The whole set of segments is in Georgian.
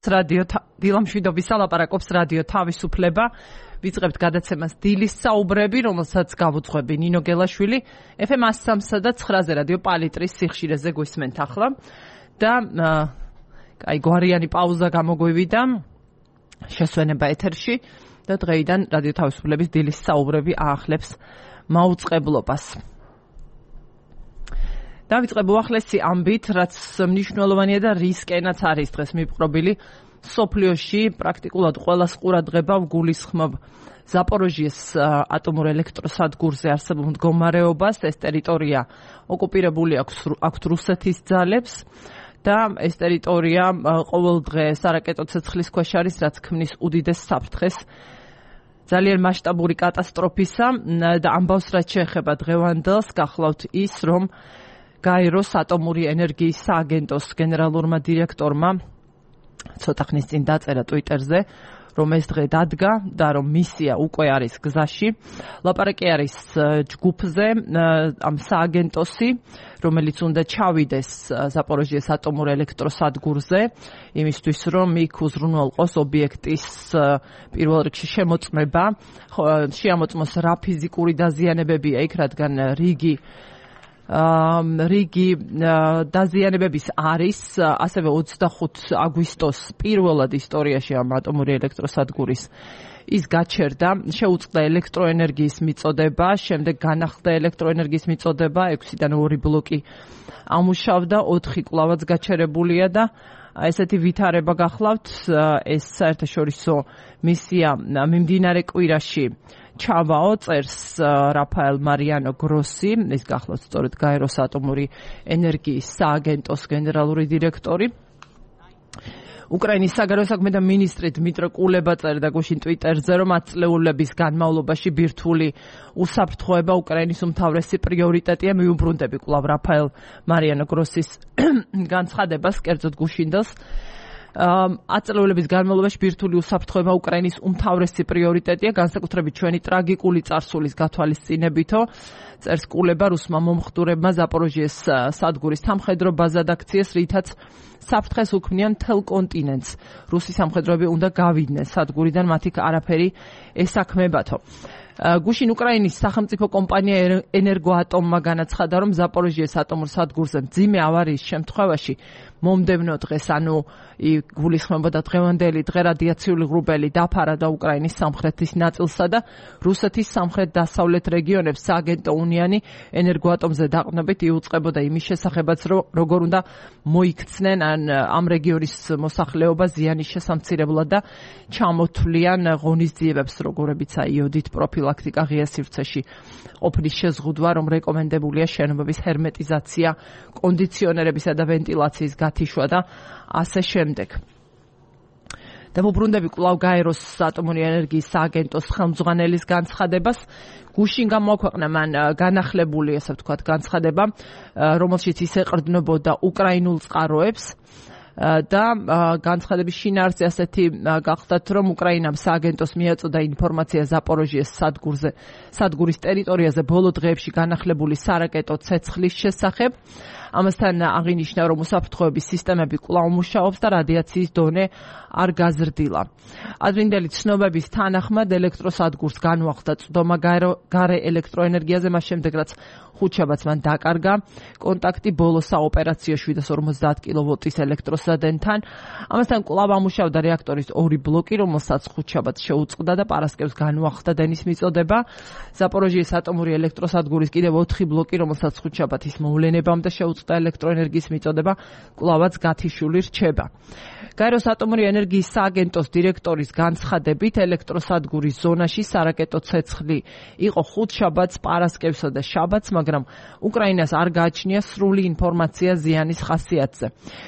რადიო დილამშვიდობის ალაპარაკობს რადიო თავისუფლება. ვიწყებთ გადაცემას დილის საუბრები, რომელსაც გავუძღვები ნინო გელაშვილი. FM 103 და 9-ზე რადიო პალიტრის სიხშირეზე გვისმენთ ახლა. და გვარიანი პაუზა გამოგვივიდა შესვენება ეთერში და დღეიდან რადიო თავისუფლების დილის საუბრები აახლებს მაუწყებლობას. დავიწყებ უახლესი ამბით, რაც მნიშვნელოვანია და რისკენაც არის დღეს მიპყრობილი. სოფლიოში პრაქტიკულად ყველას ყურადღება ვგულისხმობ ზაპოროჟიეს ატომურ ელექტროსადგურზე არსებულ მდგომარეობას. ეს ტერიტორია ოკუპირებული აქვს რუსეთის ძალებს და ეს ტერიტორია ყოველ დღე სარაკეტო ცეცხლის ქვეშ არის, რაც ქმნის უდიდეს საფრთხეს ძალიან მასშტაბური კატასტროფისა და ამბავს, რაც შეეხება დღევანდელს, გახლავთ ის, რომ გაეროს ატომური ენერგიის სააგენტოს გენერალურმა დირექტორმა ცოტა ხნის წინ დაწერა Twitter-ზე, რომ ეს დღე დადგა და რომ მისია უკვე არის გზაში. ლაპარაკი არის ჯგუფზე, ამ სააგენტოსი, რომელიც უნდა ჩავიდეს ზაპოროჟიეს ატომურ ელექტროსადგურზე, იმისთვის რომ იქ უზრუნველყოს ობიექტის პირველ რიგში შემოწმება. შეამოწმოს რა ფიზიკური დაზიანებებია იქ, რადგან რიგი დაზიანებების არის, ასევე 25 აგვისტოს პირველად ისტორიაში ამ ატომური ელექტროსადგურის ის გაჩერდა, შეუწყდა ელექტროენერგიის მიწოდება, შემდეგ განახლდა ელექტროენერგიის მიწოდება, 6-დან 2 ბლოკი ამუშავდა, 4 კვლავაც გაჩერებულია და ესეთი ვითარება გახლავთ. ეს საერთაშორისო მისია მიმდინარე კვირაში ჩავაო, წერს რაფაელ მარიანო გროსი, ის გახლავთ სწორედ გაეროს ატომური ენერგიის სააგენტოს გენერალური დირექტორი. უკრაინის საგარეო საქმეთა მინისტრი დმიტრო კულება წერდა გუშინ Twitter-ზე, რომ ათწლეულების განმავლობაში ბირთვული უსაფრთხოება უკრაინის უმთავრესი პრიორიტეტია. მიუბრუნდები კვლავ რაფაელ მარიანო გროსის განცხადებას, კერძოდ გუშინდელს. ათწლეულების განმავლობაში ბირთვული უსაფრთხოება უკრაინის უმთავრესი პრიორიტეტია, განსაკუთრებით ჩვენი ტრაგიკული წარსულის გათვალისწინებითო. წერს კულება, რუსმა მომხდურებმა ზაპოროჟიეს სადგურის სამხედრო ბაზად აქციეს, რითაც საფრთხეს უქმნიან მთელ კონტინენტს. რუსი სამხედროები უნდა გავიდნენ სადგურიდან, მათი არაფერი ესაქმებათო. გუშინ უკრაინის სახელმწიფო კომპანია ენერგოატომმა განაცხადა, რომ ზაპოროჟიეს ატომურ სადგურზე მძიმე ავარიის შემთხვევაში მომდევნო დღეს, ანუ გულისხმობდა დღევანდელი დღე, რადიაციული ღრუბელი დაფარა და უკრაინის სამხრეთის ნაწილსა და რუსეთის სამხრეთ-დასავლეთ რეგიონებს სააგენტო უნიანი ენერგოატომზე დაყრდნობით იუწყებოდა იმის შესახებაც, რომ როგორ უნდა მოიქცნენ ამ რეგიონის მოსახლეობა ზიანის შესამცირებლად და ჩამოთვლიან ღონისძიებებს, როგორებიცაა იოდით პროფილაქტიკა ღია სივრცეში ყოფნის შეზღუდვა, რომ რეკომენდებულია შენობების ჰერმეტიზაცია, კონდიციონერებისა და ვენტილაციის გათიშვა და ასე შემდეგ. და ვუბრუნდები კვლავ გაეროს ატომური ენერგიის სააგენტოს ხელმძღვანელის განცხადებას. გუშინ გამოაქვეყნა მან განახლებული, ასე ვთქვათ, განცხადება, რომელშიც ის ეყრდნობოდა უკრაინულ წყაროებს და განცხადების შინაარსი ასეთი გახლდათ, რომ უკრაინამ სააგენტოს მიაწოდა ინფორმაცია ზაპოროჟიეს სადგურის ტერიტორიაზე ბოლო დღეებში განახლებული სარაკეტო ცეცხლის შესახებ. ამასთან აღინიშნა, რომ უსაფრთხოების სისტემები კვლავ მუშაობს და რადიაციის დონე არ გაზრდილა. ადრინდელი ცნობების თანახმად ელექტროსადგურს განუახდა წვდომა გარე ელექტროენერგიაზე, მას შემდეგ რაც ხუთშაბათს მან დაკარგა კონტაქტი ბოლო საოპერაციო 750 კილოვოლტის ელექტროსადენთან. ამასთან კვლავ ამუშავდა რეაქტორის 2 ბლოკი, რომელსაც ხუთშაბათს შეუწყდა და პარასკევს განუახდა დენის მიწოდება. ზაპოროჟიეს ატომური ელექტროსადგურის კიდევ 4 ბლოკი, რომელსაც ხუთშაბათის მოვლენებამდე შეუწყდა ელექტროენერგიის მიწოდება, კვლავაც გათიშული რჩება. გაეროს ატომური ენერგიის სააგენტოს დირექტორის განცხადებით, ელექტროსადგურის ზონაში სარაკეტო ცეცხლი იყო ხუთშაბათს, პარასკევსა და შაბათს, მაგრამ უკრაინას არ გააჩნია სრული ინფორმაცია ზიანის ხასიათზე.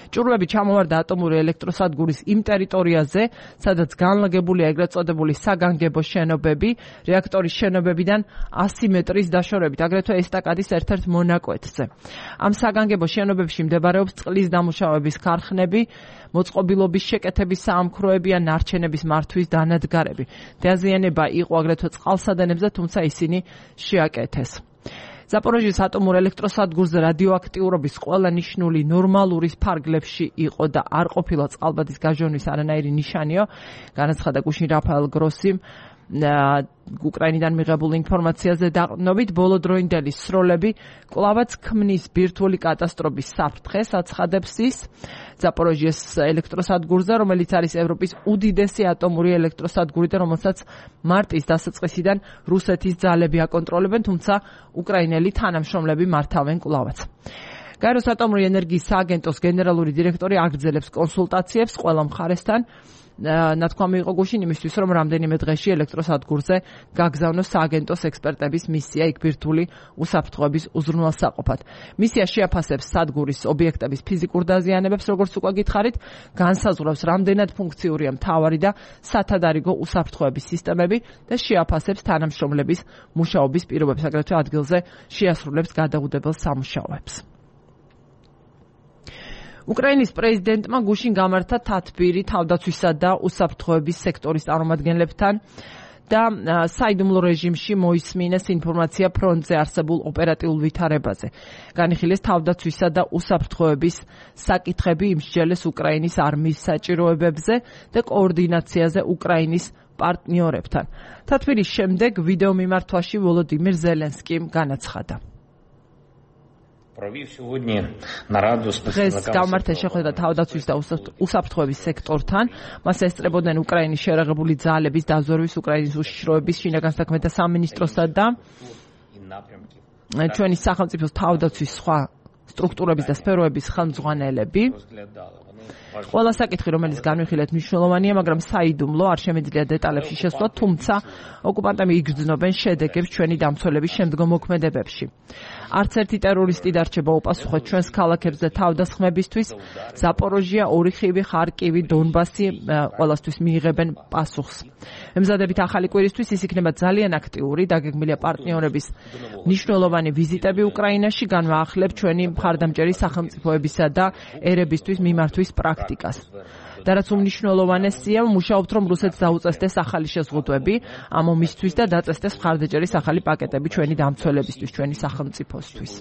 ჭურვები ჩამოვარდა ატომური ელექტროსადგურის იმ ტერიტორიაზე, სადაც განლაგებულია ეგრეთ წოდებული საგანგებო შენობები, რეაქტორის შენობებიდან 100 მეტრის დაშორებით, აგრეთვე ესტაკადის ერთ-ერთ მონაკვეთზე. ამ საგანგებო შენობებში მდებარეობს წყლის დამუშავების ქარხნები, მოწყობილობის შეკეთების საამქროები ან ნარჩენების მართვის დანადგარები. დაზიანება იყო აგრეთვე წყალსადენებზე, თუმცა ისინი შეაკეთეს. ზაპოროჟიეს ატომურ ელექტროსადგურზე რადიოაქტიურობის ყველა ნიშნული ნორმალური ფარგლებში იყო და არ ყოფილა წყალბადის გაჟონვის არანაირი ნიშანიო, განაცხადა გუშინ რაფაელ გროსიმ უკრაინიდან მიღებულ ინფორმაციაზე დაყრდნობით ბოლოდროინდელი სროლები კვლავაც ქმნის ბირთვული კატასტროფის საფრთხეს, აცხადებს ის ზაპოროჟიეს ელექტროსადგურზე, რომელიც არის ევროპის უდიდესი ატომური ელექტროსადგური და რომელსაც მარტის დასაწყისიდან რუსეთის ძალები აკონტროლებენ, თუმცა უკრაინელი თანამშრომლები მართავენ კვლავაც. გაეროს ატომური ენერგიის სააგენტოს გენერალური დირექტორი აგრძელებს კონსულტაციებს ყველა მხარესთან. ნათქვამი იყო გუშინ იმისთვის, რომ რამდენიმე დღეში ელექტროსადგურზე გაგზავნოს სააგენტოს ექსპერტების მისია იქ ბირთვული უსაფრთხოების უზრუნველსაყოფად. მისია შეაფასებს სადგურის ობიექტების ფიზიკურ დაზიანებებს, როგორც უკვე გითხარით, განსაზღვრავს რამდენად ფუნქციურია მთავარი და სათადარიგო უსაფრთხოების სისტემები და შეაფასებს თანამშრომლების მუშაობის პირობებს, აგრეთვე ადგილზე შეასრულებს გადაუდებელ სამუშაოებს. უკრაინის პრეზიდენტმა გუშინ გამართა თათბირი თავდაცვისა და უსაფრთხოების სექტორის წარმომადგენლებთან და საიდუმლო რეჟიმში მოისმინეს ინფორმაცია ფრონტზე არსებულ ოპერატიულ ვითარებაზე. განიხილეს თავდაცვისა და უსაფრთხოების საკითხები, იმსჯელეს უკრაინის არმიის საჭიროებებზე და координაციაზე უკრაინის პარტნიორებთან. თათბირის შემდეგ ვიდეო მიმართვაში ვოლოდიმირ ზელენსკიმ განაცხადა. დღეს გამართა შეხვედრა თავდაცვის და უსაფრთხოების სექტორთან. მას ესწრებოდნენ უკრაინის შერაღებული ძალების დაზვერვის, უკრაინის უშიშროების, შინაგან საქმეთა სამინისტროსა და ჩვენი სახელმწიფოს თავდაცვის სხვა სტრუქტურების და სფეროების ხელმძღვანელები. ყველა საკითხი, რომელიც განვიხილეთ, მნიშვნელოვანია, მაგრამ საიდუმლო არ შემიძლია დეტალებში შესვლა, თუმცა ოკუპანტები იგრძნობენ შედეგებს ჩვენი დამცველების შემდგომ მოქმედებებში. არც ერთი ტერორისტი დარჩება უპასუხოდ ჩვენს ქალაქებს და თავდასხმებისთვის. ზაპოროჟია, ორიხივი, ხარკივი, დონბასი ყველასთვის მიიღებენ პასუხს. ემზადებით ახალი კვირისთვის ის იქნება ძალიან აქტიური, დაგეგმილია პარტნიორების მნიშვნელოვანი ვიზიტები უკრაინაში, განვაახლებ ჩვენი მხარდამჭერი სახელმწიფოებისა და ერებისთვის მიმართვის პრაქტიკას. და რაც უმნიშვნელოვანესია, მუშაობთ, რომ რუსეთს დაუწესდეს ახალი შეზღუდვები ამ ომისთვის და დაწესდეს მხარდაჭერის ახალი პაკეტები ჩვენი დამცველებისთვის, ჩვენი სახელმწიფოსთვის.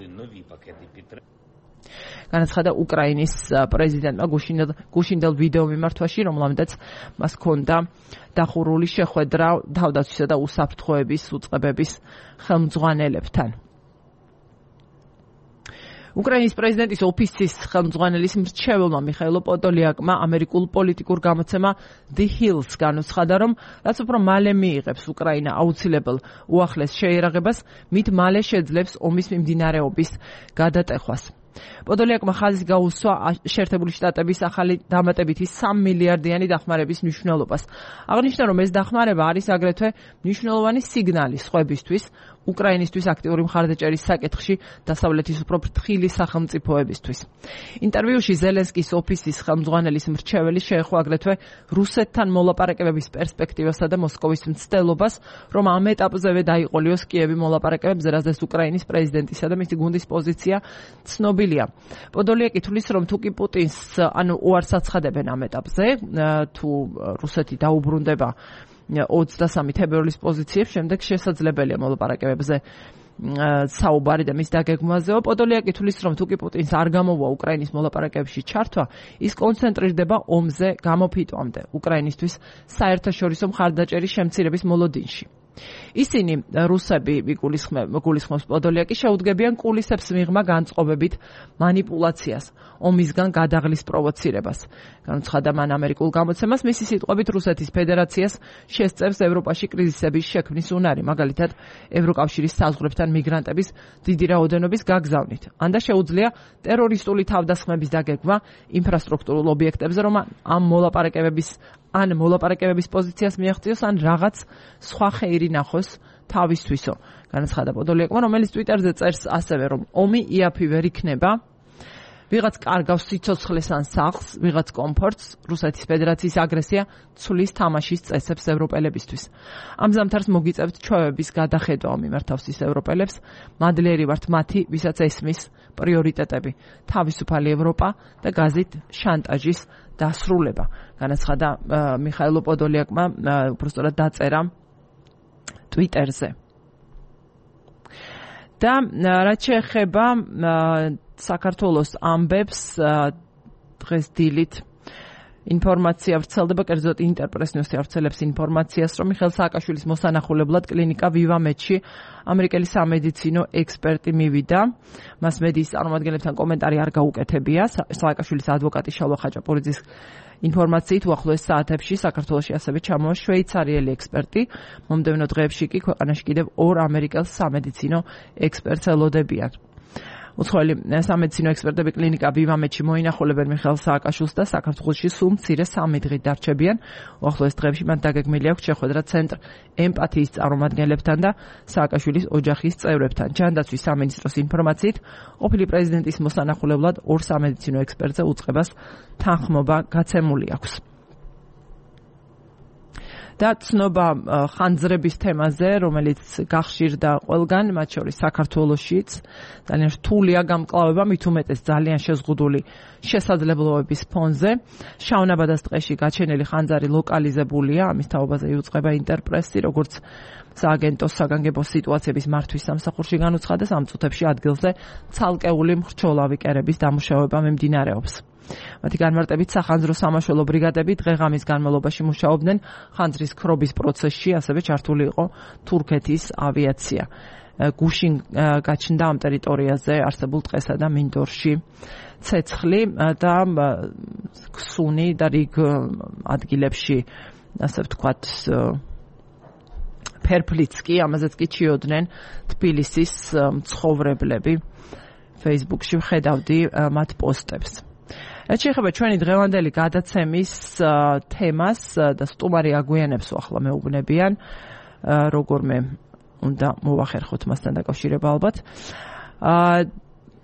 განაცხადა უკრაინის პრეზიდენტმა გუშინდელ ვიდეო მიმართვაში, რომელამდეც მას ჰქონდა დახურული შეხვედრა თავდაცვისა და უსაფრთხოების უწყებების ხელმძღვანელებთან. უკრაინის პრეზიდენტის ოფისის ხელმძღვანელის მრჩეველმა მიხაილო პოდოლიაკმა ამერიკულ პოლიტიკურ გამოცემა The Hills განუცხადა, რომ რაც უფრო მალე მიიღებს უკრაინა აუცილებელ უახლეს შეერაღებას, მით მალე შეძლებს ომის მიმდინარეობის გადატეხვას. პოდოლიაკმა ხაზი გაუსვა შეერთებული შტატების ახალი დამატებითი 3 მილიარდიანი დახმარების მნიშვნელობას. აღნიშნა, რომ ეს დახმარება არის აგრეთვე მნიშვნელოვანი სიგნალი სხვებისთვის, უკრაინისთვის აქტიური მხარდაჭერის საკითხში დასავლეთის უფრო ფრთხილი სახელმწიფოებისთვის. ინტერვიუში ზელენსკის ოფისის ხელმძღვანელის მრჩეველი შეეხო აგრეთვე რუსეთთან მოლაპარაკებების პერსპექტივასა და მოსკოვის მცდელობას, რომ ამ ეტაპზევე დაიყოლიოს კიევი მოლაპარაკებებზე, რაზეც უკრაინის პრეზიდენტისა და მისი გუნდის პოზიცია ცნობილია. პოდოლიაკი თვლის, რომ თუკი პუტინს უარს აცხადებენ ამ ეტაპზე, თუ რუსეთი დაუბრუნდება 23 თებერვლის პოზიციებს, შემდეგ შესაძლებელია მოლაპარაკებებზე საუბარი და მის დაგეგმვაზეო. პოდოლიაკი თვლის, რომ თუკი პუტინს არ გამოვა უკრაინის მოლაპარაკებებში ჩართვა, ის კონცენტრირდება ომზე გამოფიტვამდე, უკრაინისთვის საერთაშორისო მხარდაჭერის შემცირების მოლოდინში. ისინი რუსები გულისხმობს პოდოლიაკი შეუდგებიან კულისებს მიღმა განწყობებით მანიპულაციას, ომისგან გადაღლის პროვოცირებას. განუცხადა მან ამერიკულ გამოცემას, მისი სიტყვებით რუსეთის ფედერაციას შესწევს ევროპაში კრიზისების შექმნის უნარი, მაგალითად ევროკავშირის საზღვრებთან მიგრანტების დიდი რაოდენობის გაგზავნით. ანდა შეუძლია ტერორისტული თავდასხმების დაგეგმა ინფრასტრუქტურულ ობიექტებზე, რომ ამ მოლაპარაკებების პოზიციას მიაღწიოს, ან რაღაც სხვა ხეირი ნახოს თავისთვისო. განაცხადა პოდოლიაკმა, რომელიც ტვიტერზე წერს ასევე, რომ ომი იაფი ვერ იქნება, ვიღაც კარგავს სიცოცხლეს ან სახლს, ვიღაც კომფორტს, რუსეთის ფედერაციის აგრესია ცვლის თამაშის წესებს ევროპელებისთვის. ამ ზამთარს მოგიწევთ ჩვევების გადახედვა მიმართავს ის ევროპელებს, მადლიერი ვართ მათი, ვისაც ესმის პრიორიტეტები, თავისუფალი ევროპა და გაზით შანტაჟის დასრულება. განაცხადა მიხაილო პოდოლიაკმა, უბრალოდ დაწერა ტვიტერზე. და რაც შეეხება საქართველოს ამბებს დღეს დილით ინფორმაცია ვრცელდება, კერძოდ ინტერპრეს ნიუსი ავრცელებს ინფორმაციას, რომ მიხეილ სააკაშვილის მოსანახულებლად კლინიკა VivaMed-ში ამერიკელი სამედიცინო ექსპერტი მივიდა. მას მედიის წარმომადგენლებთან კომენტარი არ გაუკეთებია. სააკაშვილის ადვოკატი შალვა ხაჭაპურიძის ინფორმაციით უახლოეს საათებში საქართველოში ასევე ჩამოვა შვეიცარიელი ექსპერტი. მომდევნო დღეებში კი ქვეყანაში კიდევ 2 ამერიკელ სამედიცინო ექსპერტს ელოდებიან. უცხოელი სამედიცინო ექსპერტები კლინიკა VivaMed-ში მოინახულებენ მიხეილ სააკაშვილს და საქართველოში სულ მცირე 3 დღით დარჩებიან. უახლოეს დღეებში მათ დაგეგმილი აქვს შეხვედრა ცენტრ ემპათიის წარმომადგენლებთან და სააკაშვილის ოჯახის წევრებთან. ჯანდაცვის სამინისტროს ინფორმაციით, ყოფილი პრეზიდენტის მოსანახულებლად 2 სამედიცინო ექსპერტზე უწყებას თანხმობა გაცემული აქვს. და ცნობა ხანძრების თემაზე, რომელიც გახშირდა ყველგან, მათ შორის საქართველოშიც, ძალიან რთულია გამკლავება, მით უმეტეს ძალიან შეზღუდული შესაძლებლობების ფონზე. შავნაბადას ტყეში გაჩენილი ხანძარი ლოკალიზებულია, ამის თაობაზე იუწყება ინტერპრესი, როგორც სააგენტოს საგანგებო სიტუაციების მართვის სამსახურში განუცხადა, ამ წუთებში ადგილზე ცალკეული მრჩოლავი კერების დამუშავება მიმდინარეობს. მათი განმარტებით სახანძრო სამაშველო ბრიგადები დღე-ღამის განმავლობაში მუშაობდნენ ხანძრის ქრობის პროცესში, ასევე ჩართული იყო თურქეთის ავიაცია. გუშინ გაჩნდა ამ ტერიტორიაზე არსებულ ტყესა და მინდორში ცეცხლი და ქსუნი და რიგ ადგილებში, ასე ვთქვათ, ფერფლიც კი, ამაზეც კი ჩიოდნენ თბილისის მცხოვრებლები. Facebook-ში ვხედავდი მათ პოსტებს. რაც შეეხება ჩვენი დღევანდელი გადაცემის თემას და სტუმარი აგვიანებს ახლა მეუბნებიან, როგორმე უნდა მოვახერხოთ მასთან დაკავშირება ალბათ.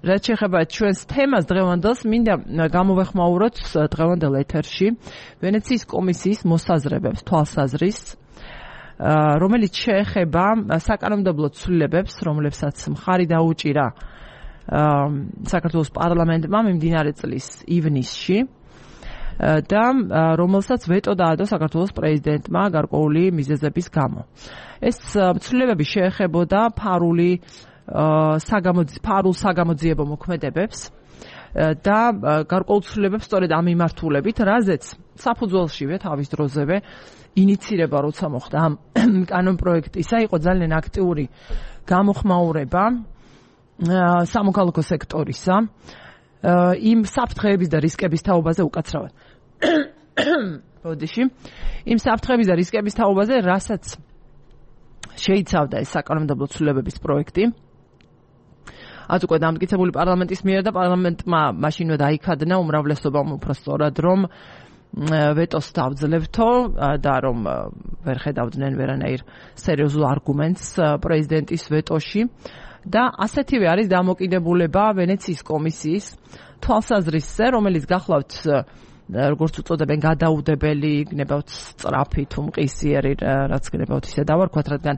რაც შეეხება ჩვენს თემას დღევანდელს, მინდა გამოვეხმაუროთ დღევანდელ ეთერში ვენეციის კომისიის მოსაზრებებს, თვალსაზრისს, რომელიც შეეხება საკანონმდებლო ცვლილებებს, რომლებსაც მხარი დაუჭირა საქართველოს პარლამენტმა მიმდინარე წლის ივნისში და რომელსაც ვეტო დაადო საქართველოს პრეზიდენტმა გარკვეული მიზეზების გამო. ეს ცვლილებები შეეხებოდა ფარულ საგამოძიებო მოქმედებებს და გარკვეულ ცვლილებებს სწორედ ამ მიმართულებით, რაზეც საფუძველშივე თავის დროზევე ინიცირება, როცა მოხდა ამ კანონპროექტისა, იყო ძალიან აქტიური გამოხმაურება სამოქალაქო სექტორისა იმ საფრთხეების და რისკების თაობაზე უკაცრავად. იმ საფრთხეების და რისკების თაობაზე, რასაც შეიცავდა ეს საკანონმდებლო ცვლილებების პროექტი. რაც უკვე დამტკიცებული პარლამენტის მიერ და პარლამენტმა მაშინვე დაიქადნა უმრავლესობამ უფრო სწორად, რომ ვეტოს დავძლებთო და რომ ვერ ხედავდნენ ვერანაირ სერიოზულ არგუმენტს პრეზიდენტის ვეტოში. და ასეთივე არის დამოკიდებულება ვენეციის კომისიის თვალსაზრისზე, რომელიც გახლავთ, როგორც უწოდებენ, გადაუდებელი, გნებავთ სწრაფი თუ მყისიერი, რაც გნებავთ ისე დავარქვათ, რადგან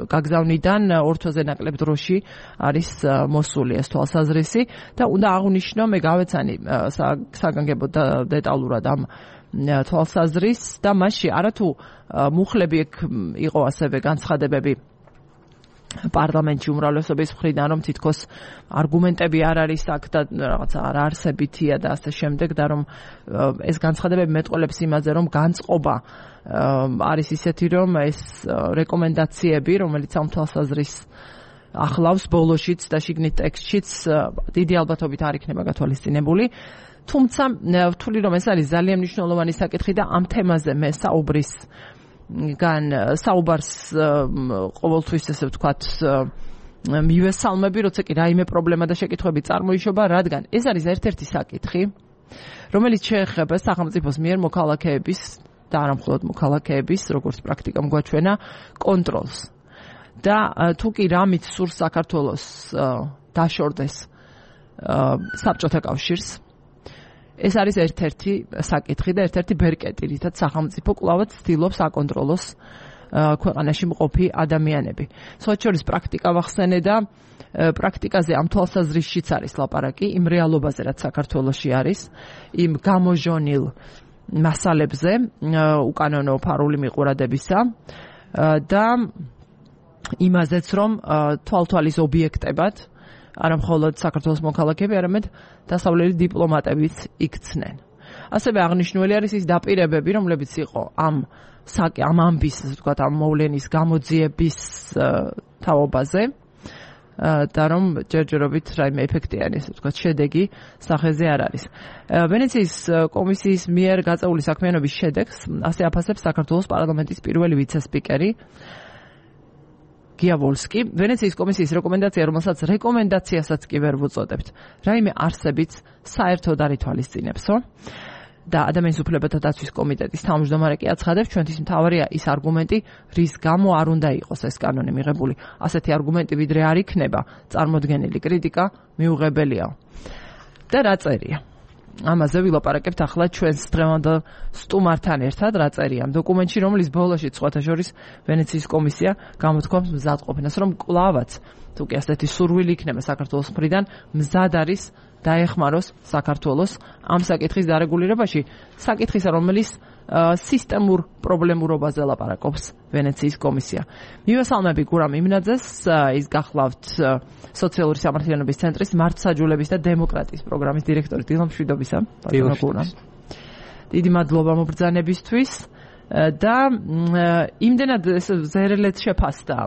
გაგზავნიდან 2 თვეზე ნაკლებ დროში არის მოსული ეს თვალსაზრისი და უნდა აღვნიშნო, მე გავეცანი საგანგებო დეტალურად ამ თვალსაზრისს და მასში არათუ მუხლები იყო ასევე განცხადებები პარლამენტში უმრავლესობის მხრიდან, რომ თითქოს არგუმენტები არ არის აქ და რაღაცა არ არსებითია და ასე შემდეგ და რომ ეს განცხადებები მეტყოლებს იმაზე, რომ განწყობა არის ისეთი, რომ ეს რეკომენდაციები, რომელიც ამ თვალსაზრისს ახლავს ბოლოშიც და შიგნით ტექსტშიც დიდი ალბათობით არ იქნება გათვალისწინებული. თუმცა ვთვლი, რომ ეს არის ძალიან მნიშვნელოვანი საკითხი და ამ თემაზე მე საუბარს ყოველთვის ესე ვთქვათ მივესალმები, როცა კი რაიმე პრობლემა და შეკითხვები წარმოიშობა, რადგან ეს არის ერთ-ერთი საკითხი, რომელიც შეეხება სახელმწიფოს მიერ მოქალაქეების და არა მხოლოდ მოქალაქეების, როგორც პრაქტიკამ გვაჩვენა, კონტროლს. და თუ კი რამით სურს საქართველოს დაშორდეს საბჭოთა კავშირს, ეს არის ერთ-ერთი საკითხი და ერთ-ერთი ბერკეტი, რითაც სახელმწიფო კვლავაც ცდილობს აკონტროლოს ქვეყანაში მყოფი ადამიანები. სხვა შორის პრაქტიკა ვახსენე და პრაქტიკაზე ამ თვალსაზრისშიც არის ლაპარაკი, იმ რეალობაზე, რაც საქართველოში არის, იმ გამოჟონილ მასალებზე, უკანონო ფარული მიყურადებისა და იმაზეც, რომ თვალთვალის ობიექტებად არა მხოლოდ საქართველოს მოქალაქეები, არამედ დასავლელი დიპლომატებიც იქცნენ. ასევე აღნიშნული არის ის დაპირებები, რომლებიც იყო ამ ამბის, ასე ვთქვათ, ამ მოვლენის გამოძიების თაობაზე და რომ ჯერჯერობით რაიმე ეფექტიანი, ასე ვთქვათ, შედეგი სახეზე არ არის. ვენეციის კომისიის მიერ გაწეული საქმიანობის შედეგს ასე აფასებს საქართველოს პარლამენტის პირველი ვიცე-სპიკერი გიავოლსკი. ვენეციის კომისიის რეკომენდაცია, რომელსაც რეკომენდაციასაც კი ვერ ვუწოდებთ, რაიმე არსებიც საერთოდ არ ითვალისწინებსო. და ადამიანის უფლებათა დაცვის კომიტეტის თავმჯდომარე კი აცხადებს, ჩვენთვის მთავარია ის არგუმენტი, რის გამო არ უნდა იყოს ეს კანონი მიღებული. ასეთი არგუმენტი ვიდრე არ იქნება წარმოდგენილი კრიტიკა მიუღებელია. და რა წერია? ამაზე ვილაპარაკებთ ახლა ჩვენს დღევანდელ სტუმართან ერთად, რა წერია ამ დოკუმენტში, რომლის ბოლოში სხვათა შორის ვენეციის კომისია გამოთქვამს მზადყოფნას, რომ კვლავაც თუ კი ასეთი სურვილი იქნება საქართველოს მხრიდან, მზად არის დაეხმაროს საქართველოს ამ საკითხის დარეგულირებაში, საკითხისა, რომელიც სისტემურ პრობლემურობაზე ლაპარაკობს ვენეციის კომისია. მივესალმები გურამ იმნაძეს, ის გახლავთ სოციალური სამართლიანობის ცენტრის მართლმსაჯულების და დემოკრატიის პროგრამის დირექტორი. დილამშვიდობისა, ბატონო გურამ. დიდი მადლობა მობრძანებისთვის და იმდენად ზერელეთ შეფასდა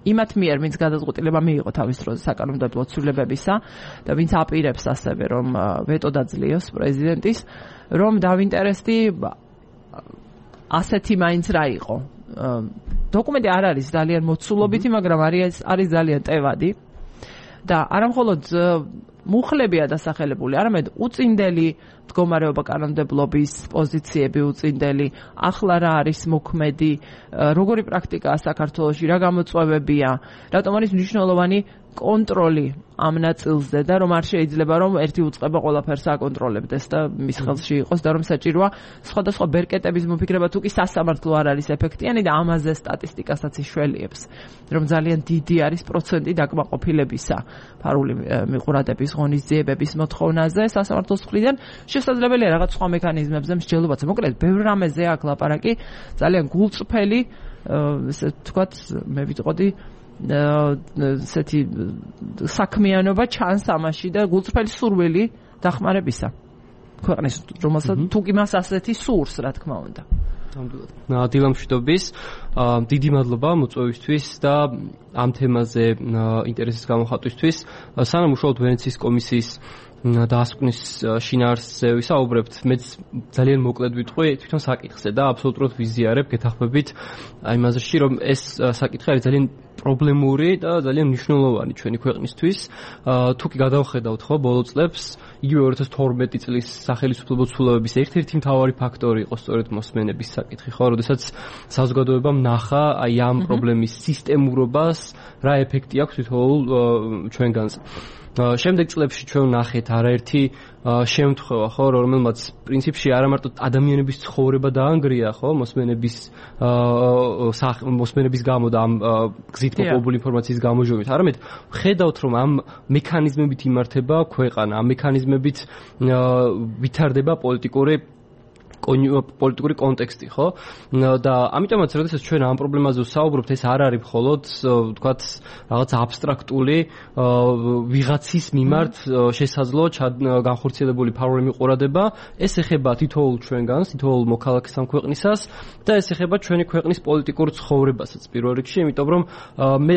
იმათ მიერ, ვინც გადაწყვეტილება მიიღო თავის დროზე საკანონმდებლო ცვლილებებისა და ვინც აპირებს ასევე, რომ ვეტო დაძლიოს პრეზიდენტის, რომ დავინტერესდი ასეთი მაინც რა იყო. დოკუმენტი არ არის ძალიან მოცულობითი, მაგრამ არის ძალიან ტევადი და არა მხოლოდ მუხლებია დასახელებული, არამედ უწინდელი მდგომარეობა კანონმდებლობის პოზიციები უწინდელი, ახლა რა არის მოქმედი, როგორი პრაქტიკაა საქართველოში, რა გამოწვევებია, რატომ არის მნიშვნელოვანი კონტროლი ამ ნაწილზე და რომ არ შეიძლება რომ ერთი უწყება ყველაფერს აკონტროლებდეს და მის ხელში იყოს და რომ საჭიროა სხვადასხვა ბერკეტების მოფიქრება თუ კი სასამართლო არ არის ეფექტიანი და ამაზე სტატისტიკასაც იშველიებს, რომ ძალიან დიდი არის პროცენტი დაკმაყოფილებისა ფარული მიყურადების ღონისძიებების მოთხოვნაზე სასამართლოს მხრიდან. შესაძლებელია რაღაც სხვა მექანიზმებზე მსჯელობაც. მოკლედ, ბევრ რამეზე აქ ლაპარაკი, ძალიან გულწრფელი, ესე ვთქვათ, მე ვიტყოდი ესეთი საქმიანობა ჩანს ამაში და გულწრფელი სურვილი დახმარებისა ქვეყნის, რომელსაც თუ კი მას ასეთი სურს, რა თქმა უნდა. დილამშვიდობის, დიდი მადლობა მოწვევისთვის და ამ თემაზე ინტერესის გამოხატვისთვის. სანამ უშუალოდ ვენეციის კომისიის დაასკვნის შინაარსზე ვისაუბრებთ, მეც ძალიან მოკლედ ვიტყვი თვითონ საკითხზე და აბსოლუტურად ვიზიარებ, გეთახმებით აი იმაზე, რომ ეს საკითხი არის ძალიან პრობლემური და ძალიან მნიშვნელოვანი ჩვენი ქვეყნისთვის. თუ კი გადავხედავთ ხო ბოლო წლებს, იგივე 2012 წლის სახელმწიფო ცვლილებების ერთ-ერთი მთავარი ფაქტორი იყო სწორედ მოსმენების საკითხი, ხო, როდესაც საზოგადოებამ ნახა აი ამ პრობლემის სისტემურობას, რა ეფექტი აქვს თითოეულ ჩვენგანს. შემდეგ წლებში ჩვენ ვნახეთ არაერთი შემთხვევა, ხო, რომელმაც პრინციპში არა მარტო ადამიანების ცხოვრება დაანგრია, ხო, მოსმენების გამო და ამ გზით მოპოვებული ინფორმაციის გამოჟონებით, არამედ ხედავთ, რომ ამ მექანიზმებით იმართება ქვეყანა, ამ მექანიზმებით ვითარდება პოლიტიკური კონტექსტი, ხო? და ამიტომაც, როდესაც ჩვენ ამ პრობლემაზე ვსაუბრობთ, ეს არ არის მხოლოდ, ვთქვათ, რაღაც აბსტრაქტული ვიღაცის მიმართ შესაძლო განხორციელებული ფარული მიყურადება, ეს ეხება თითოეულ ჩვენგანს, თითოეულ მოქალაქეს ამ ქვეყნისას და ეს ეხება ჩვენი ქვეყნის პოლიტიკურ ცხოვრებასაც პირველ რიგში, იმიტომ რომ მე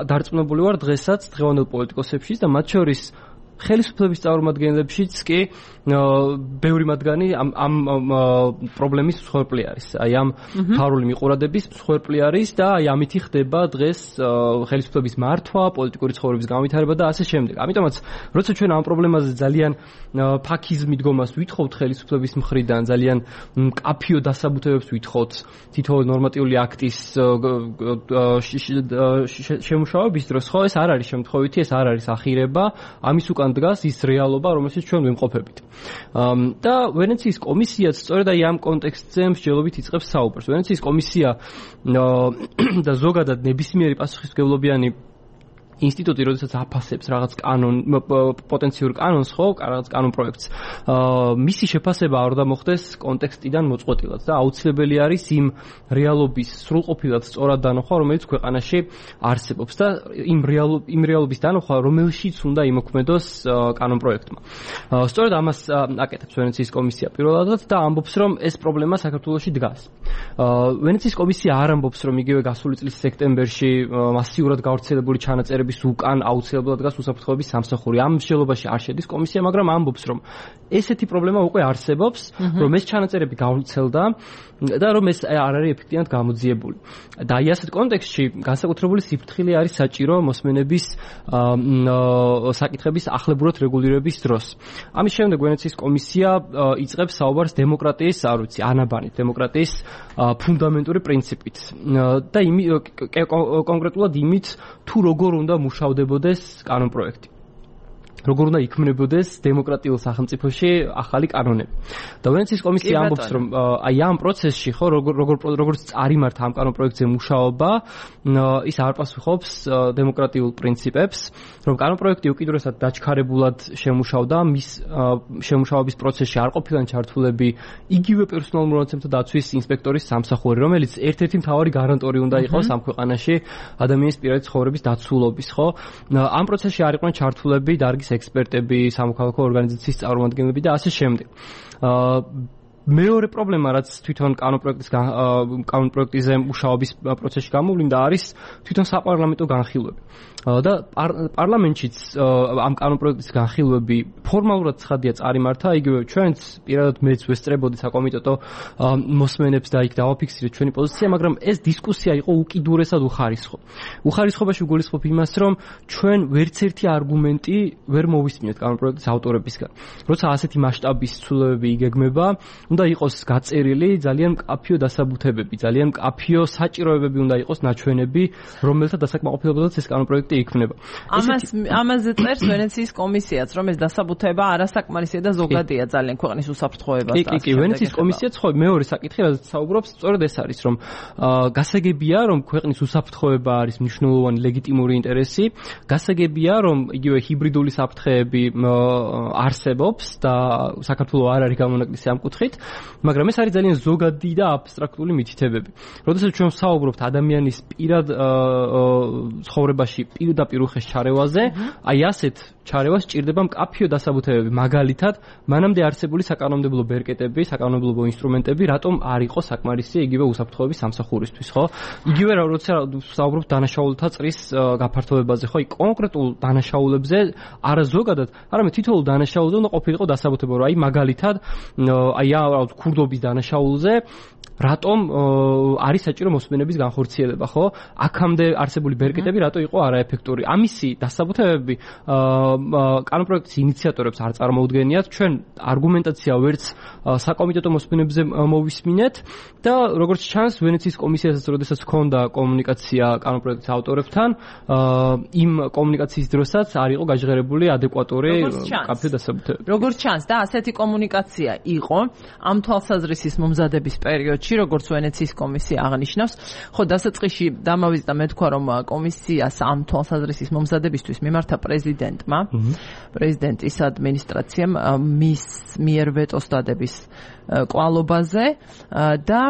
დარწმუნებული ვარ დღესაც დღევანდელ პოლიტიკოსებშიც და მათ შორის ხელისუფლების წარმომადგენლებშიც კი ბევრი მათგანი ამ პრობლემის მსხვერპლი არის. აი ამ ფარული მიყურადების მსხვერპლი არის და აი ამითი ხდება დღეს ხელისუფლების მართვა, პოლიტიკური ცხოვრების განვითარება და ასე შემდეგ. ამიტომაც, როცა ჩვენ ამ პრობლემაზე ძალიან ფაქიზ მიდგომას ვითხოვთ ხელისუფლების მხრიდან, ძალიან მკაფიო დასაბუთებებს ვითხოვთ თითოეულ ნორმატიული აქტის შემუშავების დროს, ხო, ეს არ არის შემთხვევითი, ეს არ არის ახირება, ამის უკან დგას ის რეალობა, რომელშიც ჩვენ ვიმყოფებით. და ვენეციის კომისიაც სწორედ აი ამ კონტექსტზე მსჯელობით იწყებს საუბარს. ვენეციის კომისია და ზოგადად ნებისმიერი პასუხისმგებლობიანი ინსტიტუტი როდესაც აფასებს რაღაც პოტენციურ კანონს, ხო, რაღაც კანონ პროექტს, მისი შეფასება არ უნდა მოხდეს კონტექსტიდან მოწყვეტილად და აუცილებელი არის იმ რეალობის სრულყოფილად სწორად დანახვა, რომელიც ქვეყანაში არსებობს და იმ რეალობის დანახვა, რომელშიც უნდა იმოქმედოს კანონ პროექტმა. სწორედ ამას აკეთებს ვენეციის კომისია პირველადად და ამბობს, რომ ეს პრობლემა საქართველოში დგას. ვენეციის კომისია არ ამბობს, რომ იგივე გასული წლის სექტემბერში მასიურად გავრცელებული ჩანაწერების უკან აუცილებლად დგას უსაფრთხოების სამსახური. ამ მსჯელობაში არ შედის კომისია, მაგრამ ამბობს, რომ ესეთი პრობლემა უკვე არსებობს, რომ ეს ჩანაწერები გავრცელდა და რომ ეს არ არის ეფექტიანად გამოძიებული. და აი ასეთ კონტექსტში განსაკუთრებული სიფრთხილე არის საჭირო მოსმენების საკითხების ახლებურად რეგულირების დროს. ამის შემდეგ ვენეციის კომისია იწყებს საუბარს დემოკრატიის, არ ვიცი, ანაბანით დემოკრატიის ფუნდამენტური პრინციპით და კონკრეტულად იმით, თუ როგორ უნდა მუშავდებოდეს კანონ პროექტი. როგორ უნდა იქმნებოდეს დემოკრატიულ სახელმწიფოში ახალი კანონები. და ვენეციის კომისია ამბობს, რომ აი ამ პროცესში, ხო, როგორც წარიმართა ამ კანონ პროექტზე მუშაობა, ის არ პასუხობს დემოკრატიულ პრინციპებს, რომ კანონ პროექტი უკიდურესად დაჩქარებულად შემუშავდა, მის შემუშავების პროცესში არ ყოფილან ჩართულები იგივე პერსონალურ მონაცემთა დაცვის ინსპექტორის სამსახური, რომელიც ერთ-ერთი მთავარი გარანტორი უნდა იყოს ამ ქვეყანაში ადამიანის პირადი ცხოვრების დაცულობის, ხო? ამ პროცესში არ იყვნენ ჩართულები დარგის ექსპერტები, სამოქალაქო ორგანიზაციის წარმომადგენლები და ასე შემდეგ. მეორე პრობლემა, რაც თვითონ კანონ პროექტიზე მუშაობის პროცესში გამოვლინდა, არის თვითონ საპარლამენტო განხილვები. და პარლამენტშიც ამ კანონ პროექტის განხილვები ფორმალურად ცხადია წარიმართა, იგივე ჩვენც პირადად მეც ვესწრებოდი საკომიტეტო მოსმენებს და იქ დავაფიქსირეთ ჩვენი პოზიცია, მაგრამ ეს დისკუსია იყო უკიდურესად უხარისხო. უხარისხობაში ვგულისხმობ იმას, რომ ჩვენ ვერცერთი არგუმენტი ვერ მოვისმინეთ კანონ პროექტის ავტორებისგან. როცა ასეთი მასშტაბის ცვლილებები იგეგმება, უნდა იყოს გაწერილი ძალიან მკაფიო დასაბუთებები, ძალიან მკაფიო საჭიროებები უნდა იყოს ნაჩვენები, რომელთა დასაკმაყოფილებელად ეს კანონ პროექტი იქმნება. ამაზე წერს ვენეციის კომისიაც, რომ ეს დასაბუთება არასაკმარისია და ზოგადია ძალიან ქვეყნის უსაფრთხოებას. კი, ვენეციის კომისიაც ხო მეორე საკითხი, რაც საუბრობს, სწორედ ეს არის, რომ გასაგებია, რომ ქვეყნის უსაფრთხოება არის მნიშვნელოვანი ლეგიტიმური ინტერესი, გასაგებია, რომ იგივე ჰიბრიდული საფრთხეები არსებობს და საქართველოს არ არის გამონაკლისი ამ კუთხით, მაგრამ ეს არის ძალიან ზოგადი და აბსტრაქტული მითითებები. როდესაც ჩვენ ვსაუბრობთ ადამიანის პირად ცხოვრებაში პირდაპირ უხეშ ჩარევაზე, აი ასეთ ჩარევას სჭირდება მკაფიო დასაბუთებები, მაგალითად, მანამდე არსებული საკანონმდებლო ბერკეტები, საკანონმდებლო ინსტრუმენტები, რატომ არ იყო საკმარისი იგივე უსაფრთხოების სამსახურისთვის, ხო? იგივე როცა ვსაუბრობთ დანაშაულთა წრის გაფართოებაზე, ხო, კონკრეტულ დანაშაულებზე არა ზოგადად, არამედ თითოეულ დანაშაულზე უნდა ყოფილიყო დასაბუთება, რომ აი მაგალითად, აი ქურდობის დანაშაულზე რატომ არის საჭირო მოსმენების განხორციელება, ხო? აქამდე არსებული ბერკეტები რატო იყო არაეფექტური? ამისი დასაბუთებები კანონ პროექტის ინიციატორებს არ წარმოუდგენიათ. ჩვენ არგუმენტაცია ვერც საკომიტეტო მოსმენებზე მოვისმინეთ და როგორც ჩანს, ვენეციის კომისიასაც როდესაც ჰქონდა კომუნიკაცია კანონ პროექტის ავტორებთან, იმ კომუნიკაციის დროსაც არ იყო გაჟღერებული ადეკვატური კაფე დასაბუთებები. როგორც ჩანს და ასეთი კომუნიკაცია იყო ამ თვალსაზრისის მომზადების პერიოდში, როგორც ვენეციის კომისია აღნიშნავს, ხო, დასაწყისში დამავიწყდა მე თქვა, რომ კომისიას ამ თვალსაზრისის მომზადებისთვის მიმართა პრეზიდენტმა, პრეზიდენტის ადმინისტრაციამ მის მიერ ვეტოს დადების კვალობაზე და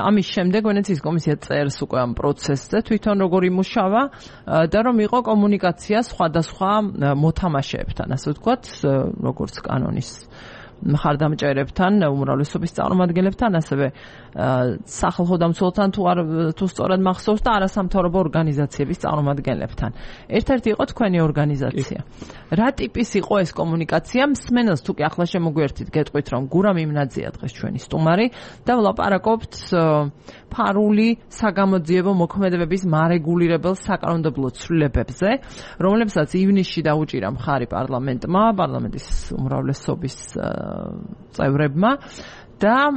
ამის შემდეგ ვენეციის კომისია წერს უკვე ამ პროცესზე თვითონ როგორ იმუშავა და რომ იყო კომუნიკაცია სხვადასხვა მოთამაშეებთან, ასე ვთქვათ, როგორც კანონის მხარდამჭერებთან, უმრავლესობის წარმომადგენლებთან, ასევე სახალხო დამცველთან თუ სწორად მახსოვს და არასამთავრობო ორგანიზაციების წარმომადგენლებთან. ერთ-ერთი იყო თქვენი ორგანიზაცია. რა ტიპის იყო ეს კომუნიკაცია? მსმენელს თუ კი ახლა შემოგვიერთით, გეტყვით, რომ გურამ იმნაძია დღეს ჩვენი სტუმარი და ვლაპარაკობთ ფარული საგამოძიებო მოქმედებების მარეგულირებელ საკანონმდებლო ცვლილებებზე, რომლებსაც ივნისში დაუჭირა მხარი პარლამენტმა, პარლამენტის უმრავლესობის წევრებმა და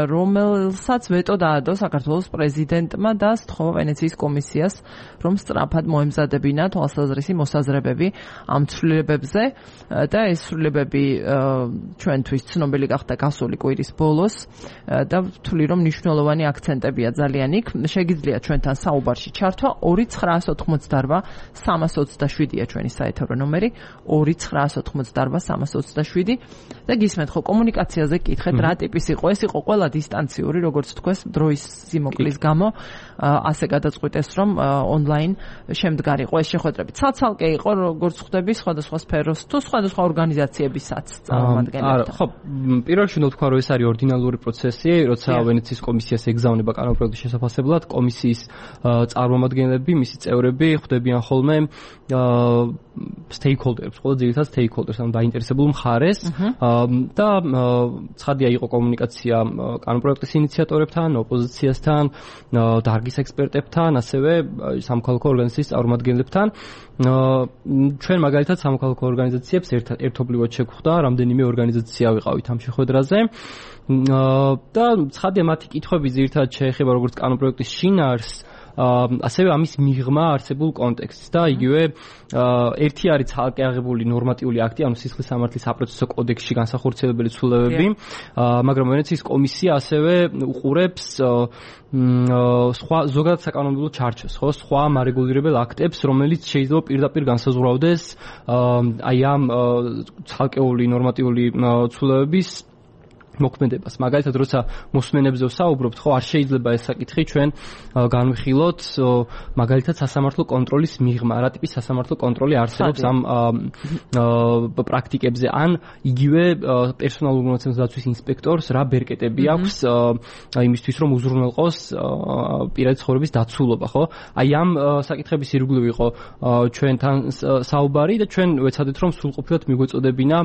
რომელსაც ვეტო დაადო საქართველოს პრეზიდენტმა და სთხოვა ვენეციის კომისიას, რომ სწრაფად მოემზადებინა თვალსაზრისი მოსაზრებები ამ ცვლილებებზე და ეს ცვლილებები ჩვენთვის ცნობილი გახდა გასული კვირის ბოლოს და ვთვლი რომ მნიშვნელოვანი აქცენტებია ძალიან იქ. შეგიძლიათ ჩვენთან საუბარში ჩართვა 2988-327-ია ჩვენი საეთერო ნომერი 2988-327 და გისმენთ ხო კომუნიკაციაზე კითხეთ რა ტიპის იყო ეს იყო ყველა დისტანციური როგორც თქვეს დროის სიმოკლის გამო ასე გადაწყვიტეს რომ ონლაინ შემდგარიყო ეს შეხვედრები ცალ-ცალკე იყო როგორც ხვდები სხვადასხვა სფეროს თუ სხვადასხვა ორგანიზაციებისაც წარმომადგენლებთან. ხო პირველ რიგში უნდა ვთქვა რომ ეს არის ორდინალური პროცესი როცა ვენეციის კომისიას ეგზავნება კანონპროექტის შესაფასებლად კომისიის წარმომადგენლები მისი წევრები ხვდებიან ხოლმე stakeholders, ყველა ძირითად stakeholders, ანუ დაინტერესებულ მხარეს და ცხადია იყო კომუნიკაცია კანონპროექტის ინიციატორებთან, ოპოზიციასთან, დარგის ექსპერტებთან, ასევე სამოქალაქო ორგანიზაციის წარმომადგენლებთან. ჩვენ მაგალითად სამოქალაქო ორგანიზაციებს ერთობლივად შეგხვდა, რამდენიმე ორგანიზაცია ვიყავით ამ შეხვედრაზე. და ცხადია მათი კითხვები ძირითადად შეეხება როგორც კანონპროექტის შინაარსს, ასევე ამის მიღმა არსებულ კონტექსტს და იგივე ერთი არის ცალკე აღებული ნორმატიული აქტი, ანუ სისხლის სამართლის საპროცესო კოდექსში განსახორციელებელი ცვლილებები, მაგრამ ვენეციის კომისია ასევე უყურებს სხვა ზოგადად საკანონმდებლო ჩარჩოს, ხო, სხვა მარეგულირებელ აქტებს, რომელიც შეიძლება პირდაპირ განსაზღვრავდეს აი ამ ცალკეული ნორმატიული ცვლილებების მოქმედებას. მაგალითად, როცა მოსმენებზე ვსაუბრობთ, ხო, არ შეიძლება ეს საკითხი ჩვენ განვიხილოთ, მაგალითად, სასამართლო კონტროლის მიღმა, რა ტიპის სასამართლო კონტროლი არსებობს ამ პრაქტიკებზე, ან იგივე პერსონალურ მონაცემების დაცვის ინსპექტორს რა ბერკეტები აქვს იმისთვის, რომ უზრუნველყოს პირადი ცხოვრების დაცულობა, ხო? აი ამ საკითხების ირგვლივ იყო ჩვენთან საუბარი და ჩვენ ვეცადეთ, რომ სრულყოფილად მიგვეწოდებინა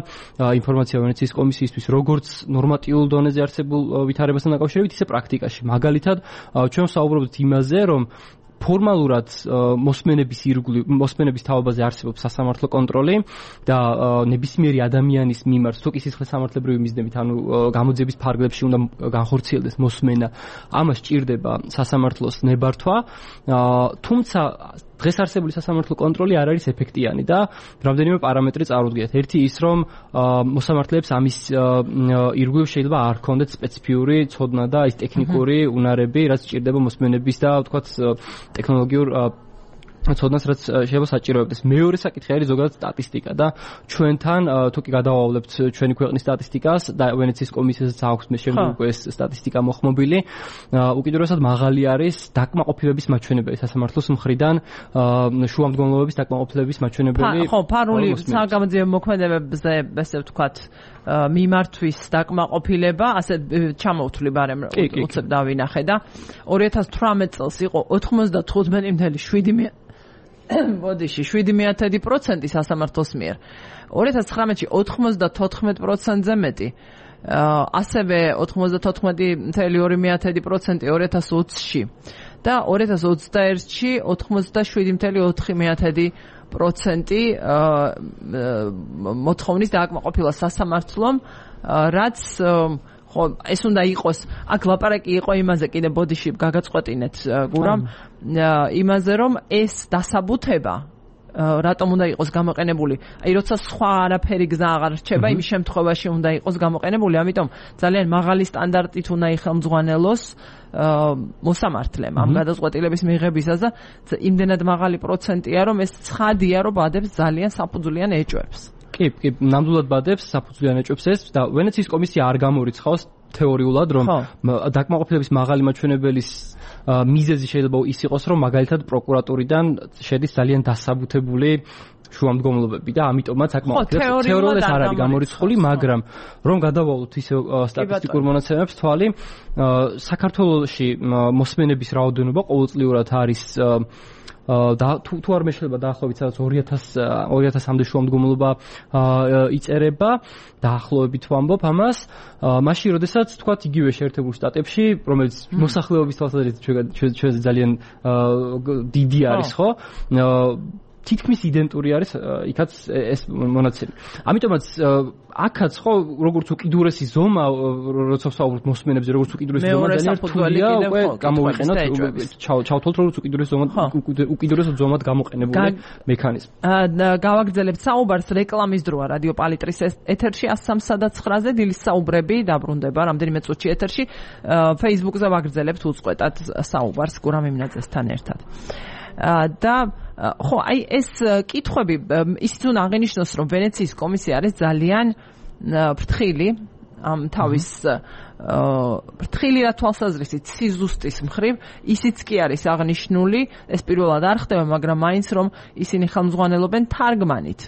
ინფორმაცია ვენეციის კომისიისთვის, როგორც ნორმატიულ დონეზე არსებულ ვითარებასთან დაკავშირებით, ისე პრაქტიკაში. მაგალითად, ჩვენ ვსაუბრობთ იმაზე, რომ ფორმალურად მოსმენების თაობაზე არსებობს სასამართლო კონტროლი და ნებისმიერი ადამიანის მიმართ თუ კი სისხლის სამართლებრივი მიზნებით, ანუ გამოძიების ფარგლებში უნდა განხორციელდეს მოსმენა, ამას სჭირდება სასამართლოს ნებართვა, თუმცა დღეს არსებული სასამართლო კონტროლი არ არის ეფექტიანი და რამდენიმე პარამეტრი წარუდგინეთ. ერთი ის, რომ მოსამართლეებს ამის ირგვლივ შეიძლება არ ჰქონდეთ სპეციფიური ცოდნა და ის ტექნიკური უნარები, რაც სჭირდება მოსმენების და ვთქვათ ტექნოლოგიურ ცოდნას, რაც შეიძლება საჭიროებდეს. მეორე საკითხი არის ზოგადად სტატისტიკა და ჩვენთან თუ კი გადავავლებთ ჩვენი ქვეყნის სტატისტიკას და ვენეციის კომისიასაც აქვს მე შემდგომ უკვე ეს სტატისტიკა მოხმობილი, უკიდურესად მაღალი არის დაკმაყოფილების მაჩვენებელი სასამართლოს მხრიდან, შუამდგომლობების დაკმაყოფილების მაჩვენებელი. ხო, ფარული საგამოძიებო მოქმედებებზე, ესე ვთქვათ, მიმართვის დაკმაყოფილება, ასე ჩამოვთვლი ბარემ უცებ დავინახე და 2018 წელს იყო 95.7 ბოდიში 0.7% სასამართლოს მიერ. 2019-ში 94%-ზე მეტი. ასევე 94.2% 2020-ში და 2021-ში 87.4% მოთხოვნის დააკმაყოფილა სასამართლომ, რაც ხო ეს უნდა იყოს, აქ ლაპარაკი იყო იმაზე, კიდე ბოდიში გაგაწყვეტინეთ გურამ, იმაზე რომ ეს დასაბუთება რატომ უნდა იყოს გამოყენებული, აი როცა სხვა არაფერი გზა აღარ რჩება, იმის შემთხვევაში უნდა იყოს გამოყენებული, ამიტომ ძალიან მაღალი სტანდარტით უნდა იხელმძღვანელოს მოსამართლემ ამ გადაწყვეტილების მიღებისას და იმდენად მაღალი პროცენტია, რომ ეს ცხადია, რომ ბადებს ძალიან საფუძვლიან ეჭვებს. კი, ნამდვილად ბადებს საფუძვლიან ეჭვებს ეს და ვენეციის კომისია არ გამორიცხავს თეორიულად, რომ დაკმაყოფილების მაღალი მაჩვენებელის მიზეზი შეიძლება ის იყოს, რომ მაგალითად პროკურატურიდან შედის ძალიან დასაბუთებული შუამდგომლობები და ამიტომაც აკმაყოფილებს თეორიულად არ არის გამორიცხული, მაგრამ რომ გადავავლოთ ისე სტატისტიკურ მონაცემებს თვალი, საქართველოში მოსმენების რაოდენობა ყოველწლიურად არის და თუ არ მეშლება დაახლოებით 2000-მდე შუამდგომლობა იწერება, დაახლოებით ვამბობ ამას, მაშინ როდესაც თქვათ იგივე შეერთებულ შტატებში, რომელიც მოსახლეობის თვალსაზრისით ჩვენ ძალიან დიდი არის, ხო? თითქმის იდენტური არის იქაც ეს მონაცემი. ამიტომაც აქაც ხო როგორც უკიდურესი ზომა როცა ვსაუბრობთ მოსმენებზე როგორც უკიდურესი ზომა ძალიან რთულია უკვე გამოვიყენოთ ჩავთვალოთ როგორც უკიდურეს ზომად გამოყენებული მექანიზმი. გავაგრძელებთ საუბარს რეკლამის დროა რადიო პალიტრის ეთერში 103.9-ზე დილის საუბრები დაბრუნდება რამდენიმე წუთში ეთერში Facebook-ზე ვაგრძელებთ უწყვეტად საუბარს გურამ იმნაძესთან ერთად. და ხო აი ეს კითხვები ისიც უნდა აღინიშნოს რომ ვენეციის კომისია არის ძალიან ფრთხილი ამ თავის ფრთხილი რა თვალსაზრისით სიზუსტის მხრივ ისიც კი არის აღნიშნული ეს პირველად არ ხდება მაგრამ მაინც რომ ისინი ხელმძღვანელობენ თარგმანით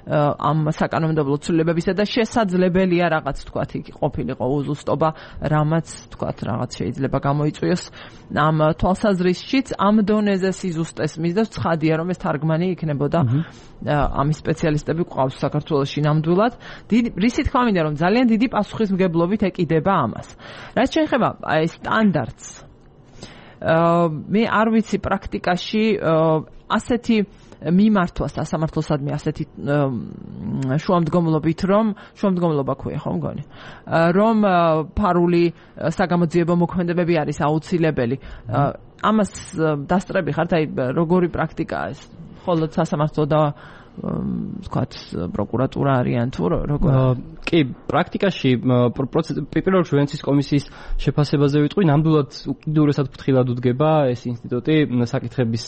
ამ საკანონმდებლო ცვლილებებისა და შესაძლებელია რაღაც თქვათ იქ ყოფილიყო უზუსტობა რამაც თქვათ რაღაც შეიძლება გამოიწვიოს ამ თვალსაზრისშიც ამ დონეზე სიზუსტეს მისდევს ცხადია რომ ეს თარგმანი იქნებოდა ამის სპეციალისტები ყავს საქართველოში ნამდვილად რისი თქმა მინდა რომ ძალიან დიდი პასუხისმგებლობით ეკიდება ამას რაც შეეხება აი სტანდარტს მე არ ვიცი პრაქტიკაში ასეთი მიმართვა სასამართლოსადმი ასეთი შუამდგომლობით რომ შუამდგომლობა ქვია ხო მგონი რომ ფარული საგამოძიებო მოქმედებები არის აუცილებელი ამას დასწრები ხართ აი როგორი პრაქტიკაა ეს ხოლო სასამართლო და ვთქვათ პროკურატურა არიან თუ როგორ კი პრაქტიკაში პირველ რიგში ვენეციის კომისიის შეფასებაზე ვიტყვი ნამდვილად უკიდურესად ფრთხილად უდგება ეს ინსტიტუტი საკითხების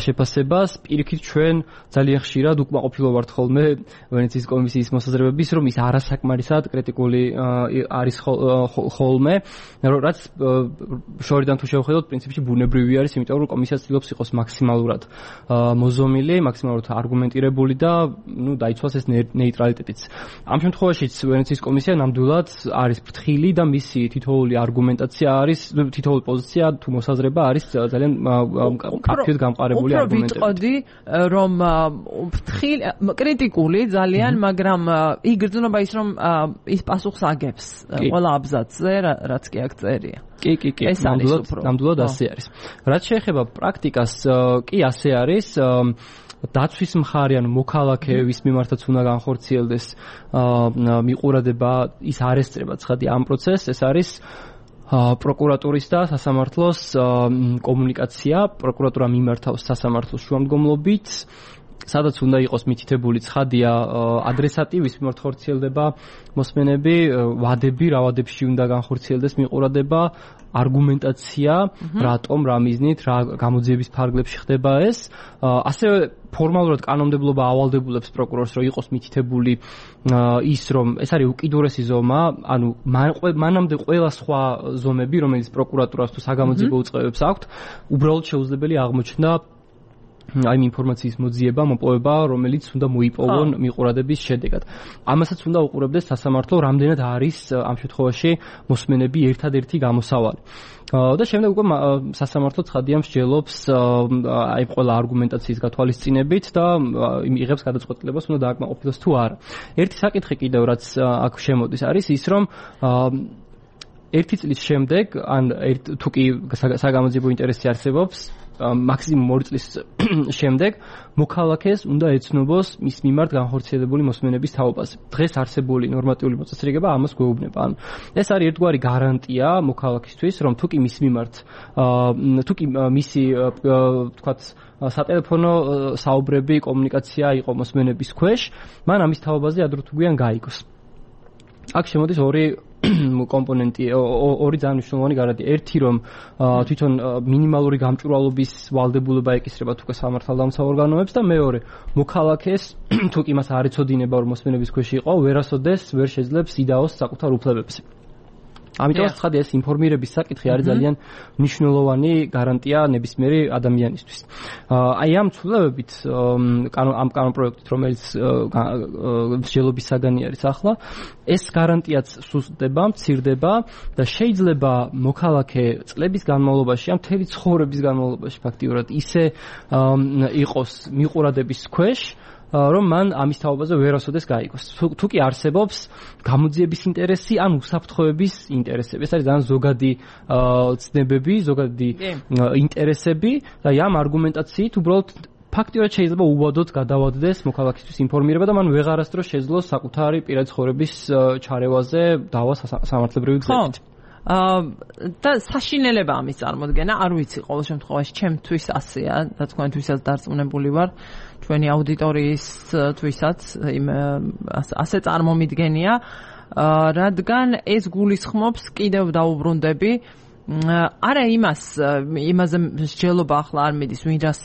შეფასებას პირიქით ჩვენ ძალიან ხშირად უკმაყოფილო ვართ ხოლმე ვენეციის კომისიის მოსაზრებების რომ ის არასაკმარისად კრიტიკული არის ხოლმე რაც შორიდან თუ შევხედოთ პრინციპში ბუნებრივი არის იმიტომ რომ კომისია ცდილობს იყოს მაქსიმალურად მოზომილი მაქსიმალურად არგუმენტირებული და ნუ დაიცვას ეს ნეიტრალიტეტიც. ამ შემთხვევაშიც ვენეციის კომისია ნამდვილად არის ფრთხილი და მისი თითოეული არგუმენტაცია არის, თითოეული პოზიცია თუ მოსაზრება არის ძალიან კაფეოდ გამყარებული არგუმენტებით. უფრო ვიტყოდი რომ ფრთხილი კრიტიკული ძალიან, მაგრამ იგრძნობა ის რომ ის პასუხს აგებს ყველა აბზაცზე, რაც კი აქ წერია. კი, ნამდვილად ასე არის. რაც შეეხება პრაქტიკას, კი ასე არის. დაცვის მხარე ან მოქალაქეების მიმართაც უნდა განხორციელდეს მიყურადება ის არ ესწრება ცხადი ამ პროცესს ეს არის პროკურატურის და სასამართლოს კომუნიკაცია პროკურატურა მიმართავს სასამართლოს შუამდგომლობით სადაც უნდა იყოს მითითებული ცხადია ადრესატი ვის მიმართ ხორციელდება მოსმენები ვადები რა ვადებში უნდა განხორციელდეს მიყურადება არგუმენტაცია რატომ რა მიზნით რა გამოძიების ფარგლებში ხდება ეს ასევე ფორმალურად კანონმდებლობა ავალდებულებს პროკურორს რომ იყოს მითითებული ის რომ ეს არის უკიდურესი ზომა ანუ მანამდე ყველა სხვა ზომები რომელიც პროკურატურას თუ საგამოძიებო უწყებებს აქვთ უბრალოდ შეუძლებელი აღმოჩნდა აი ინფორმაციის მოძიება, მოპოვება, რომელიც უნდა მოიპოვონ მიყურადების შედეგად. ამასაც უნდა უყურებდეს სასამართლო, რამდენად არის ამ შემთხვევაში მოსმენები ერთადერთი გამოსავალი. და შემდეგ უკვე სასამართლო ცხადია მსჯელობს აი ყველა არგუმენტაციის გათვალისწინებით და იღებს გადაწყვეტილებას უნდა დააკმაყოფილოს თუ არა. ერთი საკითხი კიდევ რაც აქ შემოდის არის ის რომ ერთი წლის შემდეგ ან თუ კი საგამოძიებო ინტერესი არსებობს მაქსიმუმ 2 წლის შემდეგ მოქალაქეს უნდა ეცნობას მის მიმართ განხორციელებული მოსმენების თაობაზე. დღეს არსებული ნორმატიული მოწესრიგება ამას გვეუბნება. ანუ ეს არის ერთგვარი გარანტია მოქალაქისთვის, რომ თუ კი მის მიმართ თუ კი მისი ვთქვათ სატელეფონო საუბრები, კომუნიკაცია იყო მოსმენების ქვეშ, მან ამის თაობაზე ადრე თუ გვიან გაიგოს. აქ შემოდის ორი კომპონენტი ორი ძალიან მნიშვნელოვანი გარანტია. ერთი რომ თვითონ მინიმალური გამჭვირვალობის ვალდებულება ეკისრება თუკე სამართალდამცავ ორგანოებს და მეორე მოქალაქეს თუ კი მას არ ეცოდინება რომ მოსმენების ქვეშ იყო, ვერასოდეს ვერ შეძლებს იდაოს საკუთარ უფლებებზე. ამიტომ ცხადია ეს ინფორმირების საკითხი არის ძალიან მნიშვნელოვანი გარანტია ნებისმიერი ადამიანისთვის. აი ამ ცვლილებებით ამ კანონპროექტით რომელიც მსჯელობის საგანი არის ახლა ეს გარანტიაც სუსტდება, მცირდება და შეიძლება მოქალაქე წლების განმავლობაში ან მთელი ცხოვრების განმავლობაში ფაქტიურად ისე იყოს მიყურადების ქვეშ რომ მან ამის თაობაზე ვერასოდეს გაიგოს. თუ კი არსებობს გამოძიების ინტერესი ან უსაფრთხოების ინტერესები. ეს არის ძალიან ზოგადი ცნებები, ზოგადი ინტერესები და ამ არგუმენტაციით უბრალოდ ფაქტიურად შეიძლება უბადოდ გადავადდეს მოქალაქისთვის ინფორმირება და მან ვეღარასდროს შეძლოს საკუთარი პირადი ცხოვრების ჩარევაზე დავა სამართლებრივი გზებით. და საშინელება ამის წარმოქმნა არ ვიცი ყოველ შემთხვევაში ჩემთვის ასეა და თქვენთვისაც დარწმუნებული ვარ ჩვენი აუდიტორიისთვისაც ასე წარმომიდგენია რადგან ეს გულისხმობს კიდევ დაუბრუნდები არა იმაზე მსჯელობა ახლა არ მიდის ვინრას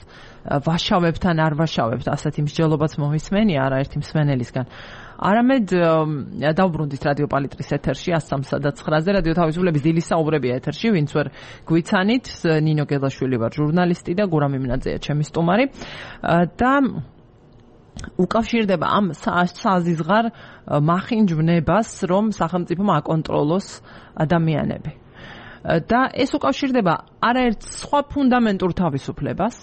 ვაშავებთან არ ვაშავებთ ასეთი მსჯელობაც მომისმენია არაერთი მსმენელისგან არამედ დავბრუნდით რადიო პალიტრის ეთერში 103.9-ზე რადიო თავისუფლების დილის საუბრებია ეთერში ვინც ვერ გვიცანით ნინო გელაშვილი ვარ ჟურნალისტი და გურამ იმნაძეა ჩემი სტუმარი და უკავშირდება ამ საზიზღარ მახინჯვნებას რომ სახელმწიფომ აკონტროლოს ადამიანები და ეს უკავშირდება არაერთ სხვა ფუნდამენტურ თავისუფლებას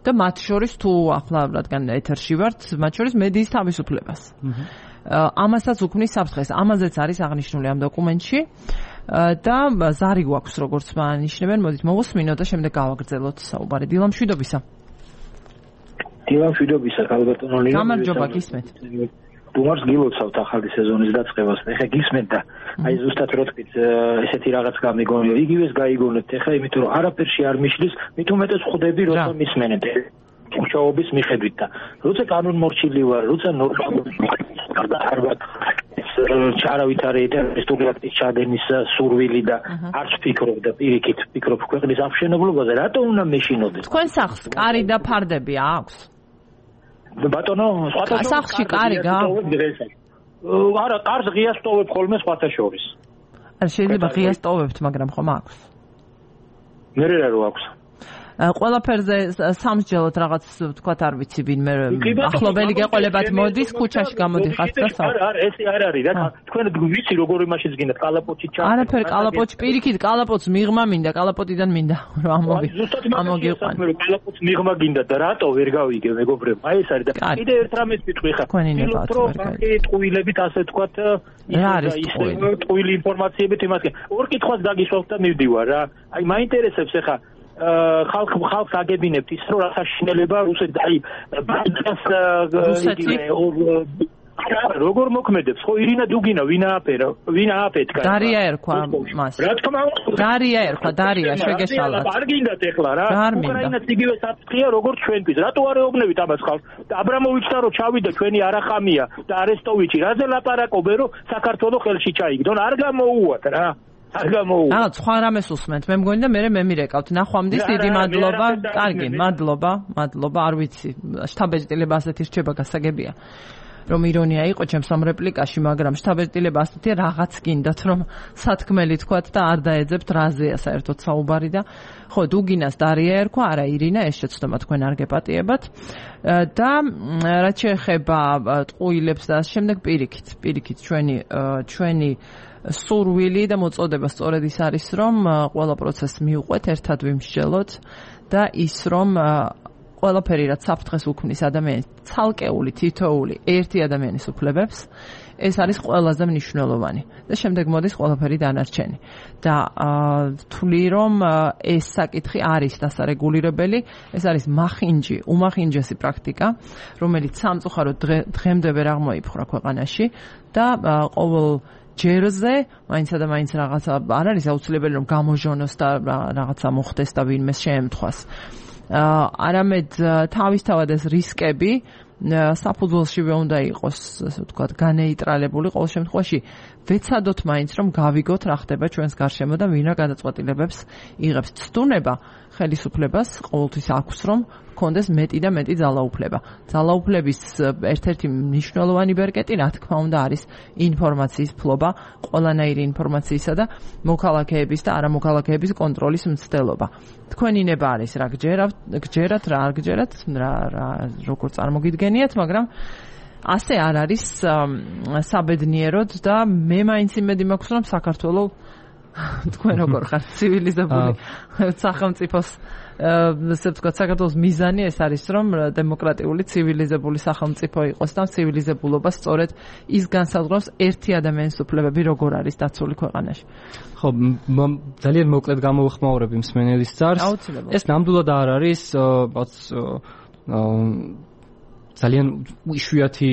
და მათ შორის თუ ახლა რადგან ეთერში ვართ, მათ შორის მედიის თავისუფლებას. ამასაც უქმნის საფრთხეს. ამაზეც არის აღნიშნული ამ დოკუმენტში და ზარი გვაქვს როგორც აღნიშნებენ, მოდით მოვუსმინოთ და შემდეგ გავაგრძელოთ საუბარი. დილა მშვიდობისა. დილა მშვიდობისა, ალბათონო ლინო. გამარჯობა, გისმენთ. თუმარს გილოცავთ ახალი სეზონის დაწყებას. ეხა გისმენთ და აი ზუსტად რო თქვით ესეთი რაღაც გამიგონია. იგივეს გაიგონებთ ეხა, იმიტომ რომ არაფერში არ მიშლის, მით უმეტეს ხვდები როცა მისმენთ. მუშაობის მიხედვით და როცა კანონმორჩილი ვარ, როცა არავითარი ეტერისტულიაქტის ჩადენის სურვილი და არც ფიქრობ და პირიქით ფიქრობ ქვეყნის აღშენებლობაზე, რატო უნდა მეშინოდეს? თქვენ სახლს კარი და ფარდები აქვს? ბატონო, სახლში კარი გააქვს? არა, კარს ღიას ტოვებ ხოლმე სხვათა შორის. არ შეიძლება ღიას ტოვებთ, მაგრამ ხომ აქვს? მე რა აქვს? ყველაფერზე სამსჯელოთ რაღაც თქვათ არ ვიცი ვინმე ახლობელი გეყოლებათ მოდის ქუჩაში გამოდიხართ და არა ეს არ არის რა თქვენ ვიცი როგორ იმაშიც გინდათ კალაპოტში ჩა არაფერ კალაპოტში პირიქით კალაპოტს მიღმა მინდა კალაპოტიდან მინდა რომ ამოგიყვან კალაპოტს მიღმა გინდა და რატო ვერ გავიგე მეგობრებო აი ეს არის და კიდე ერთ რამეს ვიტყვი ხა ტყუილებით ასე თქვათ ტყუილი ინფორმაციებით იმას ორ კითხვას დაგისვავთ და მივდივარ რა აი მაინტერესებს ხა ხალხს აგებინებთ ის რომ რა საშინელება რუსეთს აი როგორ მოქმედებს ხო ირინა დუგინა ვინ ააფეთქა დარია ერქვა მას რა თქმა უნდა დარია შეგეშალათ არ გინდათ ეხლა რა უკრაინას იგივე საფრთხეა როგორც ჩვენთვის რატო არ ეუბნებით ამას ხალხს აბრამოვიჩთან რო ჩავიდა ჩვენი არახამია და არესტოვიჩი რაზე ლაპარაკობენ რომ საქართველოს ხელში ჩაიგდონ არ გამოუვათ რა რაღაც სხვა რამეს უსმენთ მე მგონი და მე მირეკავთ ნახვამდის დიდი მადლობა კარგი მადლობა არ ვიცი შთაბეჭდილება ასეთი რჩება გასაგებია რომ ირონია იყო ჩემს ამ რეპლიკაში მაგრამ შთაბეჭდილება ასეთია რაღაც გინდათ რომ სათქმელი თქვათ და არ დაეძებთ რაზეა საერთოდ საუბარი და ხო დუგინას დარია ერქვა არა ირინა ეს შეცდომა თქვენ არ გეპატიებათ და რაც შეეხება ტყუილებს და ამ შემდეგ პირიქით ჩვენი სურვილი და მოწოდება სწორედ ის არის რომ ყველა პროცესს მიუყვეთ ერთად ვიმსჯელოთ და ის რომ ყველაფერი რაც საფრთხეს უქმნის ადამიანის ცალკეული თითოეული ერთი ადამიანის უფლებებს ეს არის ყველაზე მნიშვნელოვანი და შემდეგ მოდის ყველაფერი დანარჩენი და ვთვლი რომ ეს საკითხი არის დასარეგულირებელი ეს არის უმახინჯესი პრაქტიკა რომელიც სამწუხაროდ დღემდე ვერ აღმოიფხვრა ქვეყანაში და ყოველ ჯერზე მაინცსა და მაინც რაღაცა არ არის აუცილებელი რომ გამოჟონოს და რაღაცა მოხდეს და ვინმე შეემთხვას არამედ თავისთავად ეს რისკები საფუძველშივე უნდა იყოს ასე ვთქვათ განეიტრალებული ყოველ შემთხვევაში ვეცადოთ მაინც რომ გავიგოთ რა ხდება ჩვენს გარშემო და ვინა გადაწყვეტილებებს იღებს ცდუნება ხელისუფლებას ყოველთვის აქვს რომ კონდეს მეტი და მეტი ძალაუფლება. ძალაუფლების ერთ-ერთი მნიშვნელოვანი ბერკეტი, რა თქმა უნდა, არის ინფორმაციის ფლობა, ყველანაირი ინფორმაციისა და მოქალაქეების და არამოქალაქეების კონტროლის მცდელობა. თქვენი ნება არის რა გჯერათ, რა არ გჯერათ, როგორ წარმოგიდგენიათ, მაგრამ ასე არ არის საბედნიეროდ და მე მაინც იმედი მაქვს, რომ საქართველოს თქვენ როგორ ხართ ცივილიზებული სახელმწიფოს ესე ვთქვათ საქართველოს მიზანი ეს არის რომ დემოკრატიული ცივილიზებული სახელმწიფო იყოს და ცივილიზებულობა სწორედ ის განსაზღვრავს ერთი ადამიანის უფლებები როგორ არის დაცული ქვეყანაში. ხო, ძალიან მოკლედ გამოვხმაურებ მსმენელის ძარს. ეს ნამდვილად არ არის ძალიან იშვიათი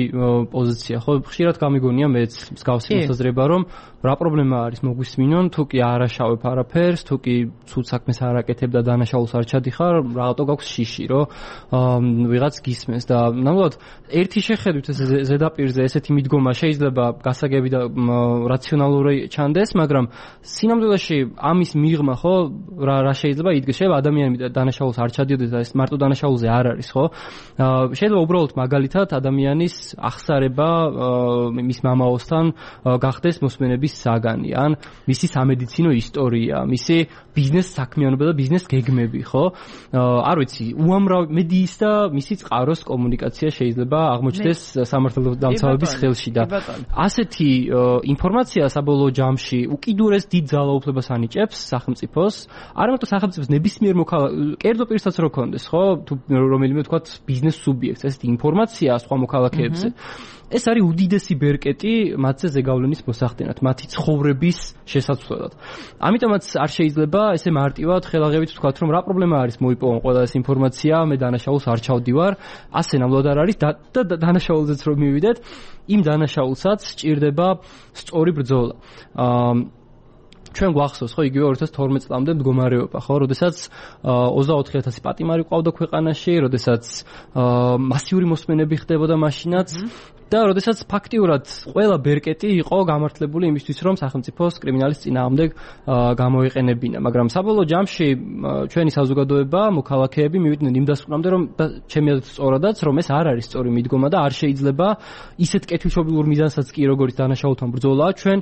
პოზიცია, ხო? ხშირად გამიგონია მეც მსგავსი მოსაზრება, რომ რა პრობლემა არის მოგვისმინონ, თუ კი არ აშავებ არაფერს, თუ კი ცუდ საქმეს არ აკეთებ და დანაშაულს არ ჩადიხარ, რაღაცა გაქვს შიში, რომ ვიღაც გისმენს და ნამდვილად ერთი შეხედვით ეს ზედაპირზე ესეთი მიდგომა შეიძლება გასაგები და რაციონალური ჩანდეს, მაგრამ სინამდვილეში ამის მიღმა, ხო, რა შეიძლება იდგეს, შეიძლება ადამიანი დანაშაულს არ ჩადიოდეს და ეს მარტო დანაშაულზე არ არის, ხო? შეიძლება უბრალოდ მაგალითად ადამიანის ახსარება მის მამაოსთან გახდეს მოსმენების საგანი, ან მისი სამედიცინო ისტორია, მისი ბიზნეს საქმიანობა და ბიზნეს გეგმები, ხო? არ ვიცი, უამრავი მედიის და მისი წყაროს კომუნიკაცია შეიძლება აღმოჩნდეს სამართალდამცავების ხელში და ასეთი ინფორმაცია საბოლოო ჯამში უკიდურეს დიდ ძალაუფლებას ანიჭებს სახელმწიფოს, არა მარტო სახელმწიფოს ნებისმიერ კერძო პირსაც რო კონდეს, ხო? თუ რომელიმე თქვათ ბიზნეს სუბიექტს ესეთი ინფორმაცია სხვა მოქალაქეებზე. ეს არის უდიდესი ბერკეტი მათზე ზეგავლენის მოსახდენად, მათი ცხოვრების შესაცვლელად. ამიტომაც არ შეიძლება ესე მარტივად ხელაღებით ვთქვათ, რომ რა პრობლემა არის მოიპოვონ ყველა ეს ინფორმაცია, მე დანაშაულს არ ჩავდივარ, ასე ნამდვილად არ არის და დანაშაულზეც რომ მივიდეთ, იმ დანაშაულსაც სჭირდება სწორი ბრძოლა. ჩვენ გვახსოვს ხო იგივე 2012 წლამდე მდგომარეობა ხო, როდესაც 24000 პატიმარი ყავდა ქვეყანაში, როდესაც მასიური მოსმენები ხდებოდა მაშინაც და როდესაც ფაქტიურად ყველა ბერკეტი იყო გამართლებული იმისთვის, რომ სახელმწიფოს კრიმინალის წინააღმდეგ გამოეყენებინა, მაგრამ საბოლოო ჯამში ჩვენი საზოგადოება, მოქალაქეები მივიდნენ იმ დასკვნამდე, რომ ჩემი აზრით სწორადაც, რომ ეს არ არის სწორი მიდგომა და არ შეიძლება ისეთ კეთილშობილურ მიზანსაც კი როგორც დანაშაულთან ბრძოლა ჩვენ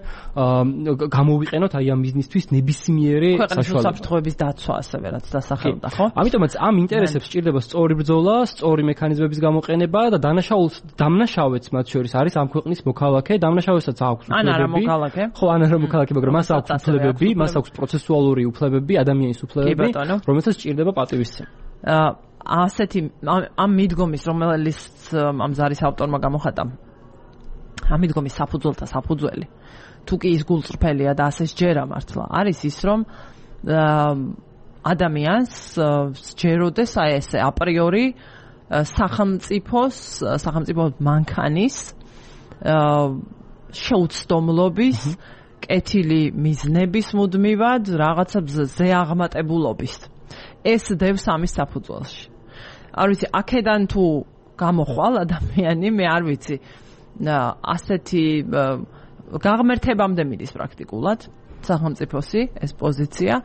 გამოვიყენოთ აი ამ მიზნისთვის ნებისმიერი საშუალება. საფრთხეების დაცვა ასევე რაც დასახელდა, ხო? ამიტომაც ამ ინტერესებს სჭირდება სწორი ბრძოლა, სწორი მექანიზმების გამოყენება და დანაშაულს დამნაშავეც მათ შორის არის ამ ქვეყნის მოქალაქე, დამნაშავესაც აქვს უფლებები. ან არა მოქალაქე. ხო, ან არა მოქალაქე, მაგრამ მას აქვს უფლებები, მას აქვს პროცესუალური უფლებები, ადამიანის უფლებები, რომელსაც სჭირდება პატივისცემა. ასეთი ამ მიდგომის, რომელიც ამ ზარის ავტორმა გამოხატა, ამ მიდგომის საფუძველთა საფუძველი, თუ კი ის გულწრფელია და ასე სჯერა მართლა, არის ის, რომ ადამიანს სჯეროდეს აი ესე აპრიორი სახელმწიფო მანქანის შეუცდომლობის, კეთილი მიზნების მუდმივად რაღაცა ზეაღმატებულობის. ეს დევს ამის საფუძველში. არ ვიცი, აქედან თუ გამოხვალ ადამიანი, მე არ ვიცი, ასეთი გაღმერთებამდე მიდის პრაქტიკულად სახელმწიფოსი ეს პოზიცია.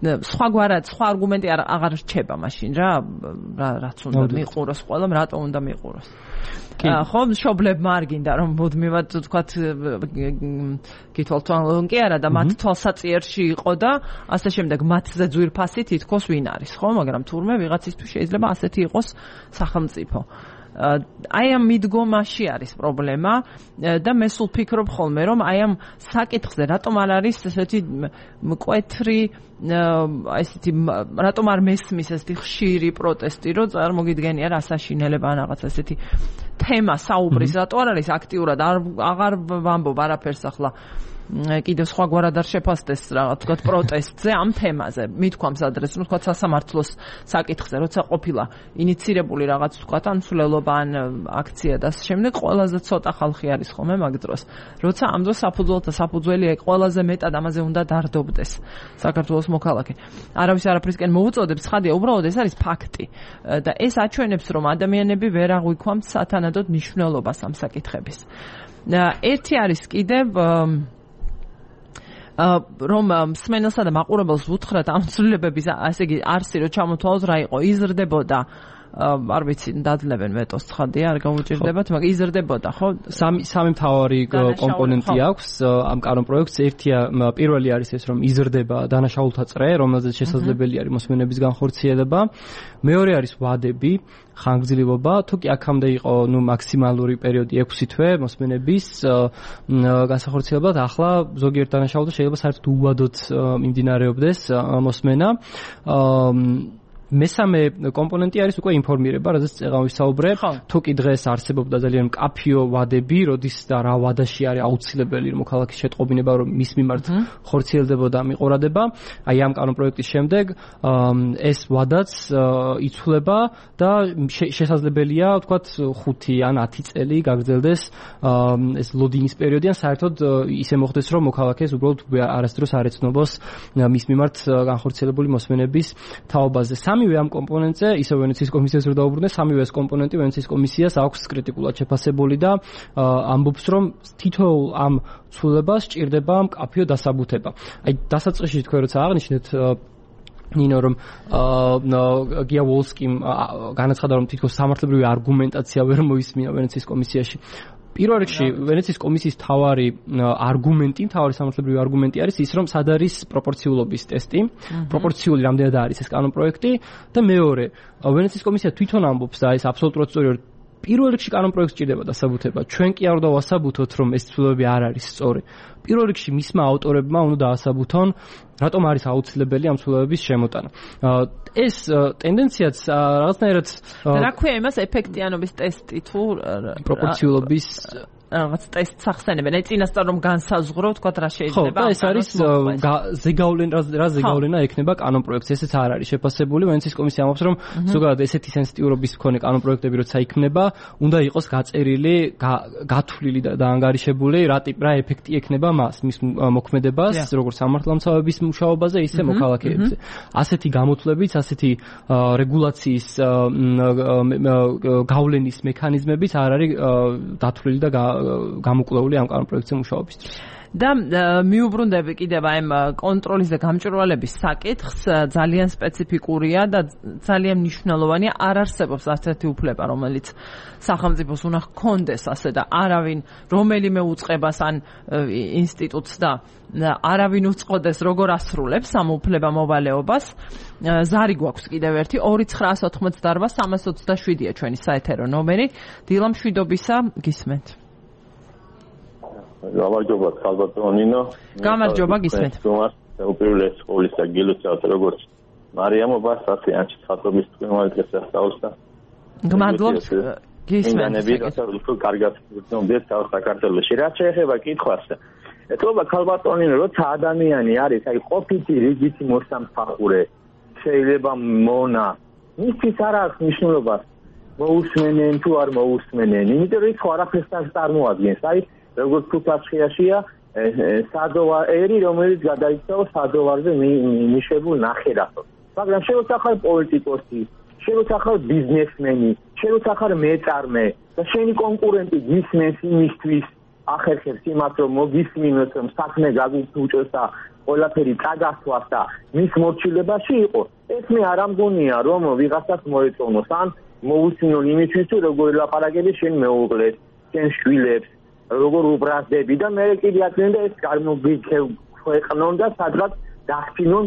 სხვაგვარად, სხვა არგუმენტი აღარ რჩება მაშინ რაც უნდა მიყუროს ყველამ, რატომ უნდა მიყუროს. ხო, მშობლებმა არ გინდა რომ მუდმივად თქვათ გითვალთვალონ კი არა და მათ თვალსაწიერში იყო და ასე შემდეგ მათზე ძვირფასი თითქოს ვინ არის, ხო, მაგრამ თურმე ვიღაცისთვის შეიძლება ასეთი იყოს სახელმწიფო. აი ამ მიდგომაში არის პრობლემა და მე სულ ფიქრობ ხოლმე რომ აი ამ საკითხზე რატომ არ არის ესეთი მკვეთრი ესეთი რატომ არ მესმის ესეთი ხშირი პროტესტი რომ წარმოგიდგენია რასაშინელება ან რაღაც ესეთი თემა საუბრის რატო არ არის აქტიურად აღარ ვამბობ არაფერს ახლა კიდევ სხვაგვარად არ შეფასდეს რაღაც თქვა პროტესტზე ამ თემაზე მithქვამს ადრეს რომ თქვა სასამართლოს საკითხზე როცა ყოფილა ინიცირებული რაღაც თქვა ან სულელობა ან აქცია და შემდეგ ყველაზე ცოტა ხალხი არის ხოლმე მაგ დროს როცა ამ დროს საფუძველი ყველაზე მეტად ამაზე უნდა დარდობდეს საქართველოს მოქალაქე არავის არაფრისკენ მოუწოდებს ცხადია უბრალოდ ეს არის ფაქტი და ეს აჩვენებს რომ ადამიანები ვერ აღვიქვამთ სათანადოდ მნიშვნელობას ამ საკითხების ერთი არის კიდევ რომ მსმენელსა და მაყურებელს ვუთხრათ ამ ცვლილებების ასე იგი არსი რომ ჩამოთვალოს რა იყო იზრდებოდა არ ვიცი დაძლებენ ვეტოს ცხადია არ გაუჭირდებათ მაგრამ იზრდებოდა ხო სამი მთავარი კომპონენტი აქვს ამ კანონ პროექტს ერთია პირველი არის ეს რომ იზრდება დანაშაულთა წრე რომელზეც შესაძლებელი არის მოსმენების განხორციელება მეორე არის ვადები ხანგრძლივობა თუ კი აქამდე იყო მაქსიმალური პერიოდი 6 თვე მოსმენების განსახორციელებლად ახლა ზოგიერთ დანაშაულზე შეიძლება საერთოდ უვადოდ მიმდინარეობდეს მოსმენა მესამე კომპონენტი არის უკვე ინფორმირება, რაზეც წეღან ვისაუბრებ. თუ კი დღეს არსებობდა ძალიან მკაფიო ვადები, როდის და რა ვადაში არის აუცილებელი მოქალაქის შეტყობინება, რომ მის მიმართ ხორციელდებოდა მიყურადება. აი ამ კანონპროექტის შემდეგ ეს ვადაც იცვლება და შესაძლებელია, ვთქვათ, 5 ან 10 წელი გაგრძელდეს ეს ლოდინის პერიოდი, ან საერთოდ ისე მოხდეს, რომ მოქალაქეს უბრალოდ არასდროს არ ეცნობს მის მიმართ განხორციელებული მოსმენების თაობაზე. სამივე ამ კომპონენტზე, ისევ ვენეციის კომისიას რო დაუბრუნდე, სამივე ეს კომპონენტი ვენეციის კომისიას აქვს კრიტიკულად შეფასებული და ამბობს, რომ თითოეულ ამ ცვლილებას სჭირდება მკაფიო დასაბუთება. აი დასაწყისში თქვენ როცა აღნიშნეთ ნინო რომ გია ვოლსკიმ განაცხადა რომ თითქოს სამართლებრივი არგუმენტაცია ვერ მოისმინა ვენეციის კომისიაში. პირველ რიგში ვენეციის კომისიის მთავარი სამართლებრივი არგუმენტი არის ის, რომ სად არის პროპორციულობის ტესტი, პროპორციული რამდენად არის ეს კანონპროექტი და მეორე, ვენეციის კომისია თვითონ ამბობს და ეს აბსოლუტურად სწორია, პირველ რიგში კანონპროექტს სჭირდება დასაბუთება. ჩვენ კი არ უნდა ვასაბუთოთ, რომ ეს ცვლილებები არ არის სწორი. პირველ რიგში მისმა ავტორებმა უნდა დაასაბუთონ, რატომ არის აუცილებელი ამ ცვლილებების შემოტანა. ეს ტენდენციაც რაღაცნაირად რა ქვია იმას ეფექტიანობის ტესტი თუ პროპორციულობის რაღაც ტესტს ახსენებენ. აი წინასწარ რომ განსაზღვრო, თქვათ რა შეიძლება. ხო, ეს არის ზეგავლენა ექნება კანონპროექტს, ესეც არ არის შეფასებული. ვენეციის კომისია ამბობს, რომ ზოგადად ესეთი სენსიტიურობის მქონე კანონპროექტები როცა იქნება, უნდა იყოს გაწერილი, გათვლილი და ანგარიშებული, რა ეფექტი ექნება მის მოქმედებას, როგორც სამართალდამცავების მუშაობაზე, ისე მოქალაქეებზე. ასეთი გამოთვლებით, ასეთი რეგულაციის გავლენის მექანიზმებით არ არის დათვლილი და გამოკვლეული ამ კანონპროექტზე მუშაობისთვის. და მიუბრუნდები კიდევ ამ კონტროლის და გამჭვირვალების საკითხს, ძალიან სპეციფიკურია და ძალიან მნიშვნელოვანია, არ არსებობს ასეთი უფლება, რომელიც სახელმწიფოს უნდა ჰქონდეს ასე და არავინ რომელიმე უწყებას ან ინსტიტუტს და არავინ უწყოდეს როგორ ასრულებს ამ უფლება მოვალეობას. ზარი გვაქვს კიდევ ერთი 2988-327-ია ჩვენი საეთერო ნომერი. დილა მშვიდობისა, გისმენთ. გამარჯობა ხალბატონინო. გამარჯობა გისმენთ. უპირველეს ყოვლისა გილოცავთ როგორც მარიამობას, ასე ანჩის ხატობის თქვენმალ დღეს ასწავლსა. გმადლობთ გისმენთ. უფრო კარგად გრძნობდეთ საქართველოში. რაც შეეხება კითხვას, ეთქობა ხალბატონინო, როცა ადამიანი არის, აი ყოფითი რიგითი მოსამსახურე, შეიძლება მონა, მისთვის არ აქვს მნიშვნელობას მოусმენენ თუ არ მოусმენენ. იმიტომ რომ ის ხო არაფერს არ წარმოადგენს. აი როგორც ფუტაცხიაშია სადოვარი, რომელიც გადაიქცევა სადოვარზე ნიშებულ ნახერახს. მაგრამ შეიძლება ხარ პოლიტიკოსი, შეიძლება ხარ ბიზნესმენი, შეიძლება ხარ მეწარმე და შენი კონკურენტი გისმენს იმისთვის ახერხებს იმას, რომ მოგისმინოს, რომ საქმე გაგუწევს და ყველაფერი წაგასვას და მის მორჩილებაში იყო. ეს მე არ ამგონია, რომ ვიღაცას მოეწონოს ან მოусმინონ იმისთვის, რომ როგორ ლაპარაკები შენ მეუღლეს, შენ შვილებს, როგორ უბრაზდები და მე კიდე აკეთე ეს ქვეყნონ და სადღაც დახინონ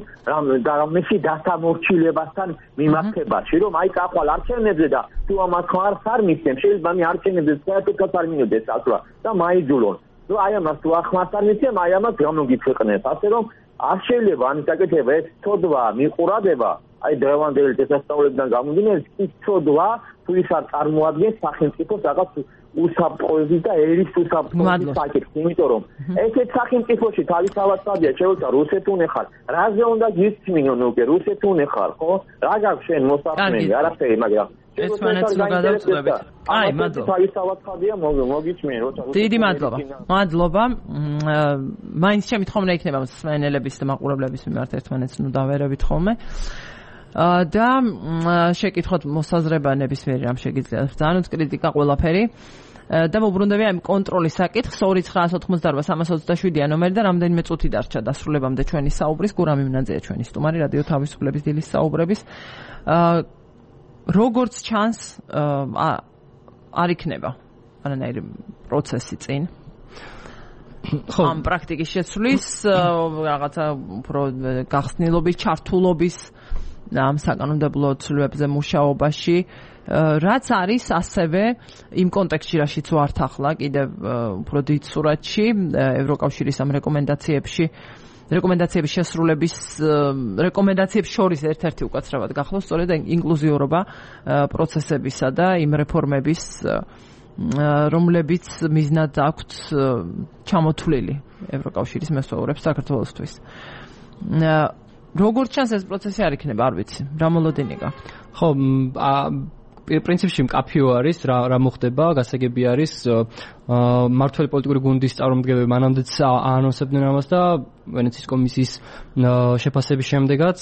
რამეში დასამორჩილებასთან მიმართებაში, რომ აი წახვალ არჩევნებზე და თუ ამას ხარ არ მისცემ, შეიძლება მე არჩევნებზე საერთოდ არ მინოდეს ასვლა და მაიძულონ. რომ აი ამას თუ ახმას არ მისცემ, აი ამას გამოგიფეყნებ. ასე რომ არ შეიძლება ამის გაკეთება, ეს ცოდვა, მიყურადება, აი დღევანდელი წესასწაულებიდან გამომდინარე, ის ცოდვა თუ ის არ წარმოადგენს სახელმწიფოს რაღაც უსაფრთხოების და ერის უსაფრთხოების საკითხს, იმიტომ რომ ესეთ სახელმწიფოში თავისთავად სადია შეუცა რუსეთუნ ხარ, რაზე უნდა გისმინონ უკვე რუსეთუნ ხარ, ხო? რა გაქვს შენ მოსახლეები, არაფერი, მაგრამ ეს მანაც რო გადავწყვეტებით. აი, მადლობა. თავისთავად სადია მოგიჩმენ, როცა დიდი მადლობა. მადლობა. მაინც შემთხვევა იქნება მსმენელების და მაყურებლების მიმართ ერთმანეთს ნუ დავერევით ხოლმე. და შეკითხოთ მოსაზრება ნებისმიერი რამ შეგიძლიათ. ძალიან კრიტიკა ყველაფერი. და მოbrunდები ამ კონტროლის საკითხს 2988-327-ია ნომერი და რამდენიმე წუთი დარჩა დასრულებამდე ჩვენი საუბრის. გურამი მინაძეა ჩვენი სტუმარი რადიო თავისუფლების დილის საუბრების. როგორც ჩანს არ იქნება არანაირი პროცესი წინ. ამ პრაქტიკის შეცვლის რაღაცა უფრო გახსნილობის, ჩართულობის ამ საკანონმდებლო ცვლილებებზე მუშაობაში, რაც არის ასევე იმ კონტექსტში, რაშიც ვართ ახლა კიდევ უფრო დიდ სურათში, ევროკავშირის ამ რეკომენდაციებში რეკომენდაციების შესრულების რეკომენდაციებს შორის ერთ-ერთი უკაცრავად გახლოს სწორედ ინკლუზიურობა პროცესებისა და იმ რეფორმების რომლებიც მიზნად აქვთ ჩამოთვლილი ევროკავშირის მესვეურებს საქართველოსთვის. როგორც ჩანს ეს პროცესი არ იქნება, არ ვიცი, რა მოლოდინი გაქვთ. ხო, პრინციპში მკაფიო არის რა მოხდება, გასაგები არის მმართველი პოლიტიკური გუნდის წარმომადგენლები მანამდეც აანონსებდნენ ამას და ვენეციის კომისიის შეფასების შემდეგაც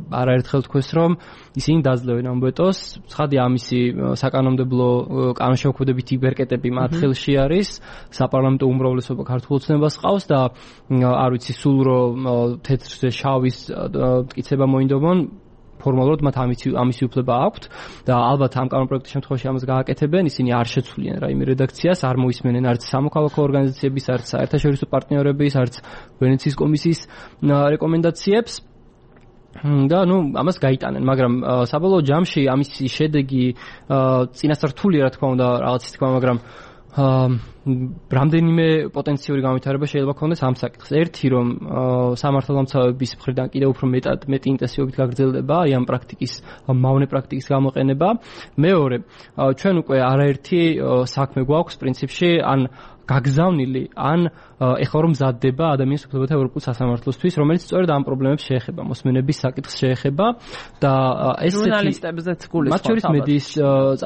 არაერთხელ თქვეს, რომ ისინი დაძლევენ ამ ვეტოს. ცხადია ამისი საკანონმდებლო კანონშემოქმედებითი ბერკეტები მათ ხელში არის, საპარლამენტო უმრავლესობა ქართულ ოცნებას ყავს და არ ვიცი სულ რომ თეთრზე შავის მტკიცება მოინდომონ ფორმალურად მათ ამისი უფლება აქვთ და ალბათ ამ კანონპროექტის შემთხვევაში ამას გააკეთებენ, ისინი არ შეცვლიან რაიმე რედაქციას, არ მოისმენენ არც სამოქალაქო ორგანიზაციების, არც საერთაშორისო პარტნიორების, არც ვენეციის კომისიის რეკომენდაციებს. და ამას გაიტანენ, მაგრამ საბოლოო ჯამში ამისი შედეგი წინასწარ რთულია, რა თქმა უნდა, რაღაცის თქმა, მაგრამ რამდენიმე პოტენციური განვითარება შეიძლება ქონდეს ამ საკითხს. ერთი რომ სამართალდამცავების მხრიდან კიდევ უფრო მეტი ინტენსივობით გაგრძელდება აი ამ პრაქტიკის, მავნე პრაქტიკის გამოყენება. მეორე, ჩვენ უკვე არაერთი საქმე გვაქვს პრინციპში, ან გაგზავნილი, ან ეხლა რომ მზადდება ადამიანის უფლებათა ევროპულ სასამართლოსთვის, რომელიც სწორედ ამ პრობლემებს შეეხება, მოსმენების საკითხს შეეხება და ესეთი ჟურნალისტებზეც გულისხმობს. მათ შორის მედიის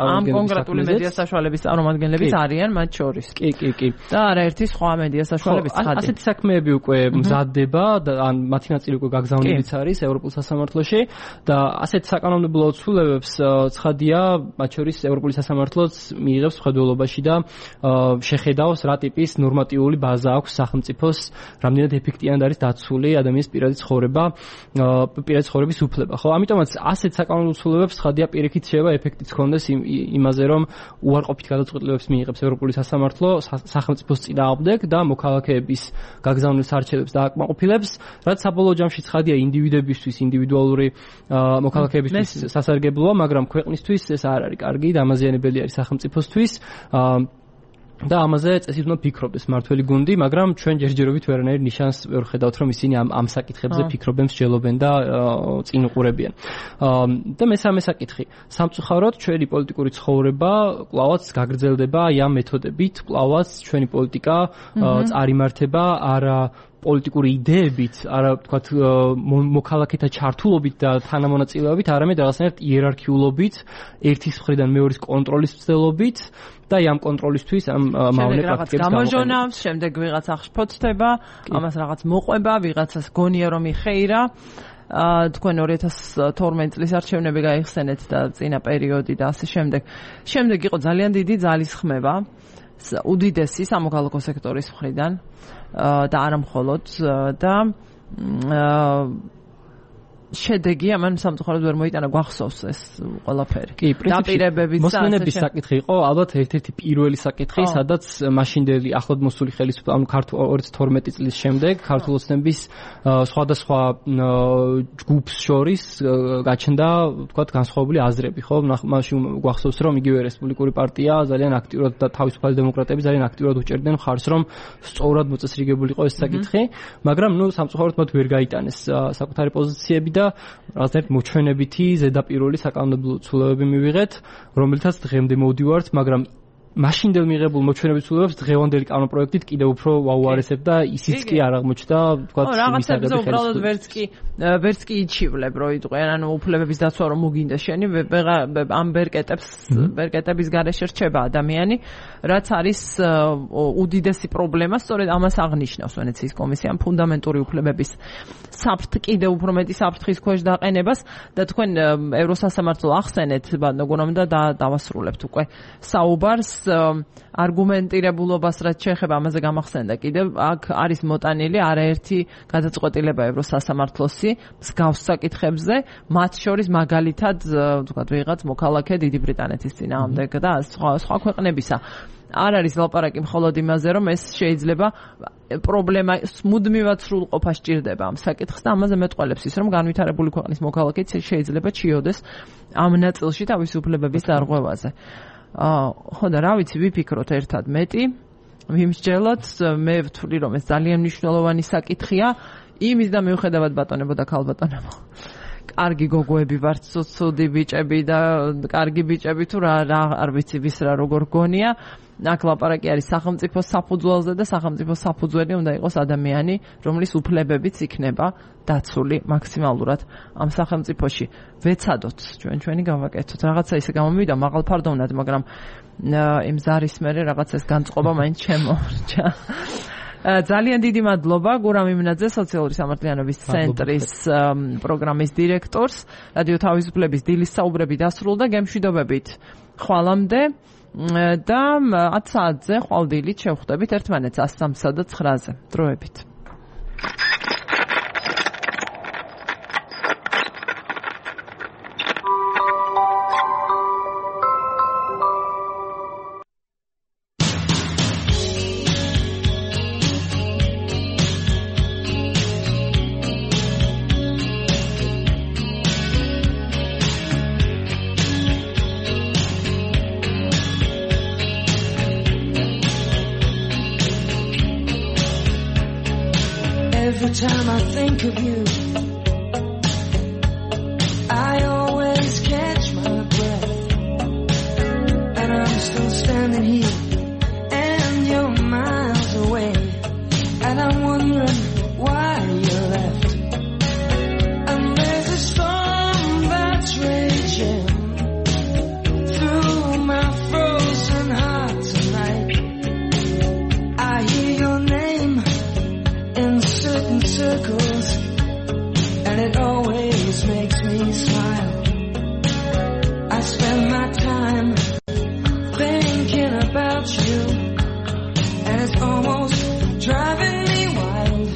ამ კონკრეტული მედია საშუალებების წარმომადგენლებიც არიან მათ შორის. კი. და არაერთი სხვა მედია საშუალებიც ხადი. ასეთი საქმეები უკვე მზადდება და ან მათი ნაწილი უკვე გაგზავნილიც არის ევროპულ სასამართლოში და ასეთ საკანონმდებლო ცვლილებებს ცხადია, მათ შორის ევროპული სასამართლოც მიიღებს მხედველობაში და შეხედავს რა ტიპის ნორმატიული ბაზა აქვს სახელმწიფოს, რამდენად ეფექტიანად არის დაცული ადამიანის პირადი ცხოვრების უფლება. ხო, ამიტომაც ასეთ საკანონმდებლო ცვლილებებს ცხადია პირიქით შეიძლება ეფექტიც ჰქონდეს იმაზე, რომ უარყოფით გადაწყვეტილებებს მიიღებს ევროპული სასამართლო სახელმწიფოს წინააღმდეგ და მოქალაქეების გაგზავნილ სარჩელებს დააკმაყოფილებს, რაც საბოლოო ჯამში ცხადია ინდივიდებისთვის, ინდივიდუალური მოქალაქეებისთვის სასარგებლოა, მაგრამ ქვეყნისთვის ეს არ არის კარგი, დამაზიანებელი არის სახელმწიფოსთვის. და ამაზე წესით უნდა ფიქრობდეს მმართველი გუნდი, მაგრამ ჩვენ ჯერჯერობით ვერანაირ ნიშანს ვერ ხედავთ, რომ ისინი ამ საკითხებზე ფიქრობენ, მსჯელობენ და წინ უყურებიან. და მესამე საკითხი, სამწუხაროდ ჩვენი პოლიტიკური ცხოვრება კვლავაც გაგრძელდება ამ მეთოდებით, კვლავაც ჩვენი პოლიტიკა წარიმართება არა პოლიტიკური იდეებით, არა თქვათ მოქალაქეთა ჩართულობით და თანამონაწილეობით, არამედ რაღაცნაირად იერარქიულობით, ერთის მხრიდან მეორის კონტროლის მცდელობით და ამ კონტროლისთვის ამ მავნე პრაქტიკებს გამოჟონავს, შემდეგ ვიღაც აღშფოთდება, ამას რაღაც მოყვება, ვიღაცას გონია რომ იხეირა. თქვენ 2012 წლის არჩევნები გაიხსენეთ და წინა პერიოდი და ასე შემდეგ. შემდეგ იყო ძალიან დიდი ძალისხმევა უდიდესი სამოქალაქო სექტორის მხრიდან და არა მხოლოდ და შედეგი ამან სამწუხაროდ ვერ მოიტანა, გვახსოვს ეს ყველაფერი. კი, პრინციპში მოსმენების საკითხი იყო ალბათ ერთ-ერთი პირველი საკითხი, სადაც მაშინდელი ახლად მოსული ხელისუფლება, ანუ 2012 წლის შემდეგ ქართულ ოცნების სხვადასხვა ჯგუფს შორის გაჩნდა, ვთქვათ, განსხვავებული აზრები, ხო? მაშინ გვახსოვს, რომ იგივე რესპუბლიკური პარტია ძალიან აქტიურად და თავისუფალი დემოკრატები ძალიან აქტიურად უჭერდნენ მხარს, რომ სწორად მოწესრიგებულიყო ეს საკითხი, მაგრამ სამწუხაროდ მათ ვერ გაიტანეს საკუთარი პოზიციები და რაღაცნაირად მოჩვენებითი ზედაპირული საკანონმდებლო ცვლილებები მივიღეთ, რომელთაც დღემდე მოვდივართ, მაგრამ მაშინდელ მიღებულ მოჩვენებითი ცვლილებებს დღევანდელი კანონპროექტით კიდევ უფრო ვაუარესებ და ისიც კი არ აღმოჩნდა, ვთქვათ, რაღაცებზე უბრალოდ ვერც კი იჩივლებ, რომ იყვენ, ანუ უფლებების დაცვა რომ მოგინდა შენი, ამ ბერკეტების გარეშე რჩება ადამიანი, რაც არის უდიდესი პრობლემა, სწორედ ამას აღნიშნავს ვენეციის კომისია, ფუნდამენტური უფლებების კიდევ უფრო მეტი საფრთხის ქვეშ დაყენებას და თქვენ ევროსასამართლო ახსენეთ, მოგონებდა და დავასრულებთ უკვე საუბარს არგუმენტირებულობას რაც შეეხება ამაზე გამახსენდა კიდევ აქ არის მოტანილი არაერთი გადაწყვეტილება ევროსასამართლოსი მსგავს საკითხებზე, მათ შორის მაგალითად ვთქვათ ვიღაც მოქალაქე დიდი ბრიტანეთის წინააღმდეგ და სხვა ქვეყნებისა. არ არის ლაპარაკი მხოლოდ იმაზე, რომ ეს შეიძლება პრობლემა მუდმივად სრულყოფა სჭირდება ამ საკითხს და ამაზე მეტყველებს ის, რომ განვითარებული ქვეყნის მოქალაქეც შეიძლება ჩიოდეს ამ ნაწილში თავისი უფლებების დარღვევაზე. ხო და რა ვიცი, ვიფიქროთ ერთად მეტი, ვიმსჯელოთ, მე ვთვლი რომ ეს ძალიან მნიშვნელოვანი საკითხია, იმის და მიუხედავად ბატონებო და ქალბატონებო. კარგი გოგოები ვართ, ცუდი ბიჭები და კარგი ბიჭები თუ რა არ ვიცი ვის რა როგორ გონია. აქ ლაპარაკი არის სახელმწიფო საფუძველზე და სახელმწიფო საფუძველი უნდა იყოს ადამიანი, რომლის უფლებებიც იქნება დაცული მაქსიმალურად ამ სახელმწიფოში. ვეცადოთ ჩვენი გავაკეთოთ. რაღაცა ისე გამომივიდა მაღალ ფარდოვნად, მაგრამ იმ ზარის მერე რაღაცას განწყობა მაინც შემორჩა. ძალიან დიდი მადლობა გურამ იმნაძე, სოციალური სამართლიანობის ცენტრის პროგრამის დირექტორს. რადიო თავისუფლების დილის საუბრები დასრულდა, გემშვიდობებით ხვალამდე და 10 საათზე ხვალდილით შევხვდებით ერთმანეთს 103 და 9-ზე. დროებით. Every time I think of you, I always catch my breath, and I'm still standing here, and you're miles away, and I'm wondering why you left. And there's a storm that's raging through my frozen heart tonight. I hear your name in certain circles, and it always makes me smile. I spend my time thinking about you, and it's almost driving me wild.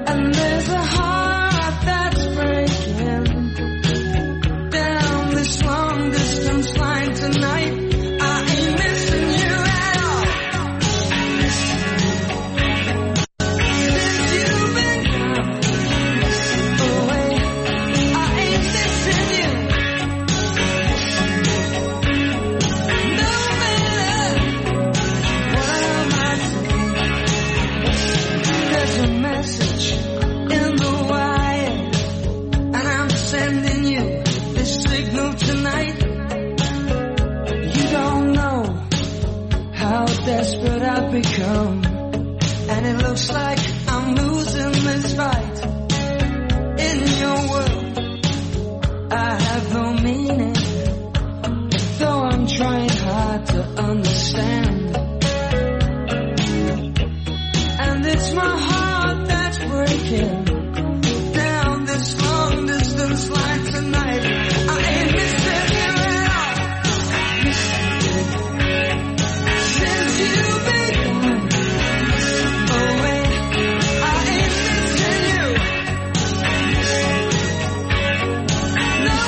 And there's a heart that's breaking down this long distance line tonight. I ain't missing you at all. Desperate I've become, and it looks like I'm losing this fight. In your world, I have no meaning, though I'm trying hard to understand. And it's my heart that's breaking down this long distance line tonight. I ain't missing you at all. Since you've been gone away, I ain't missing you. No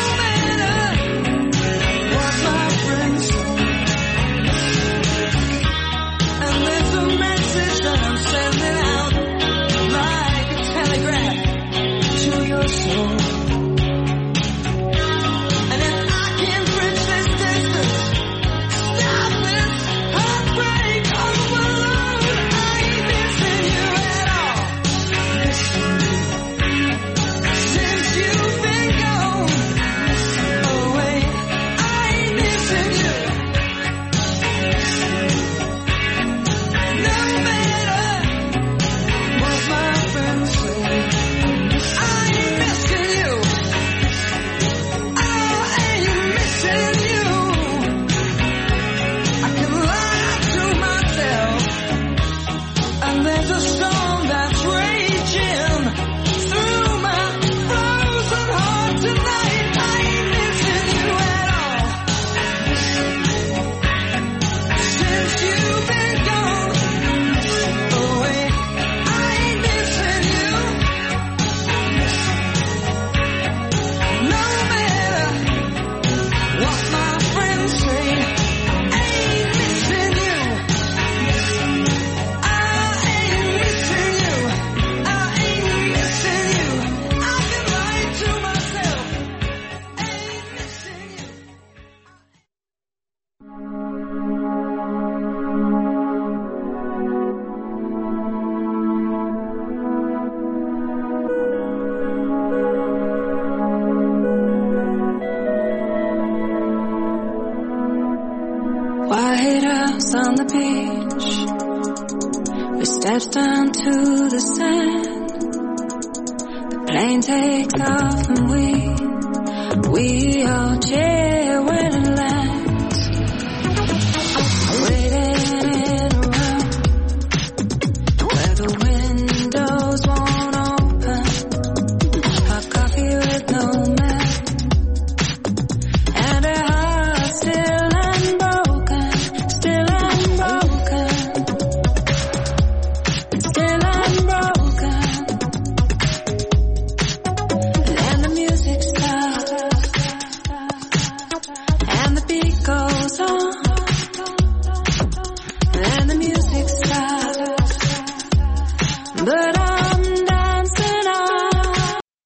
the beach. We stepped down to the sand. The plane takes off and we all chase.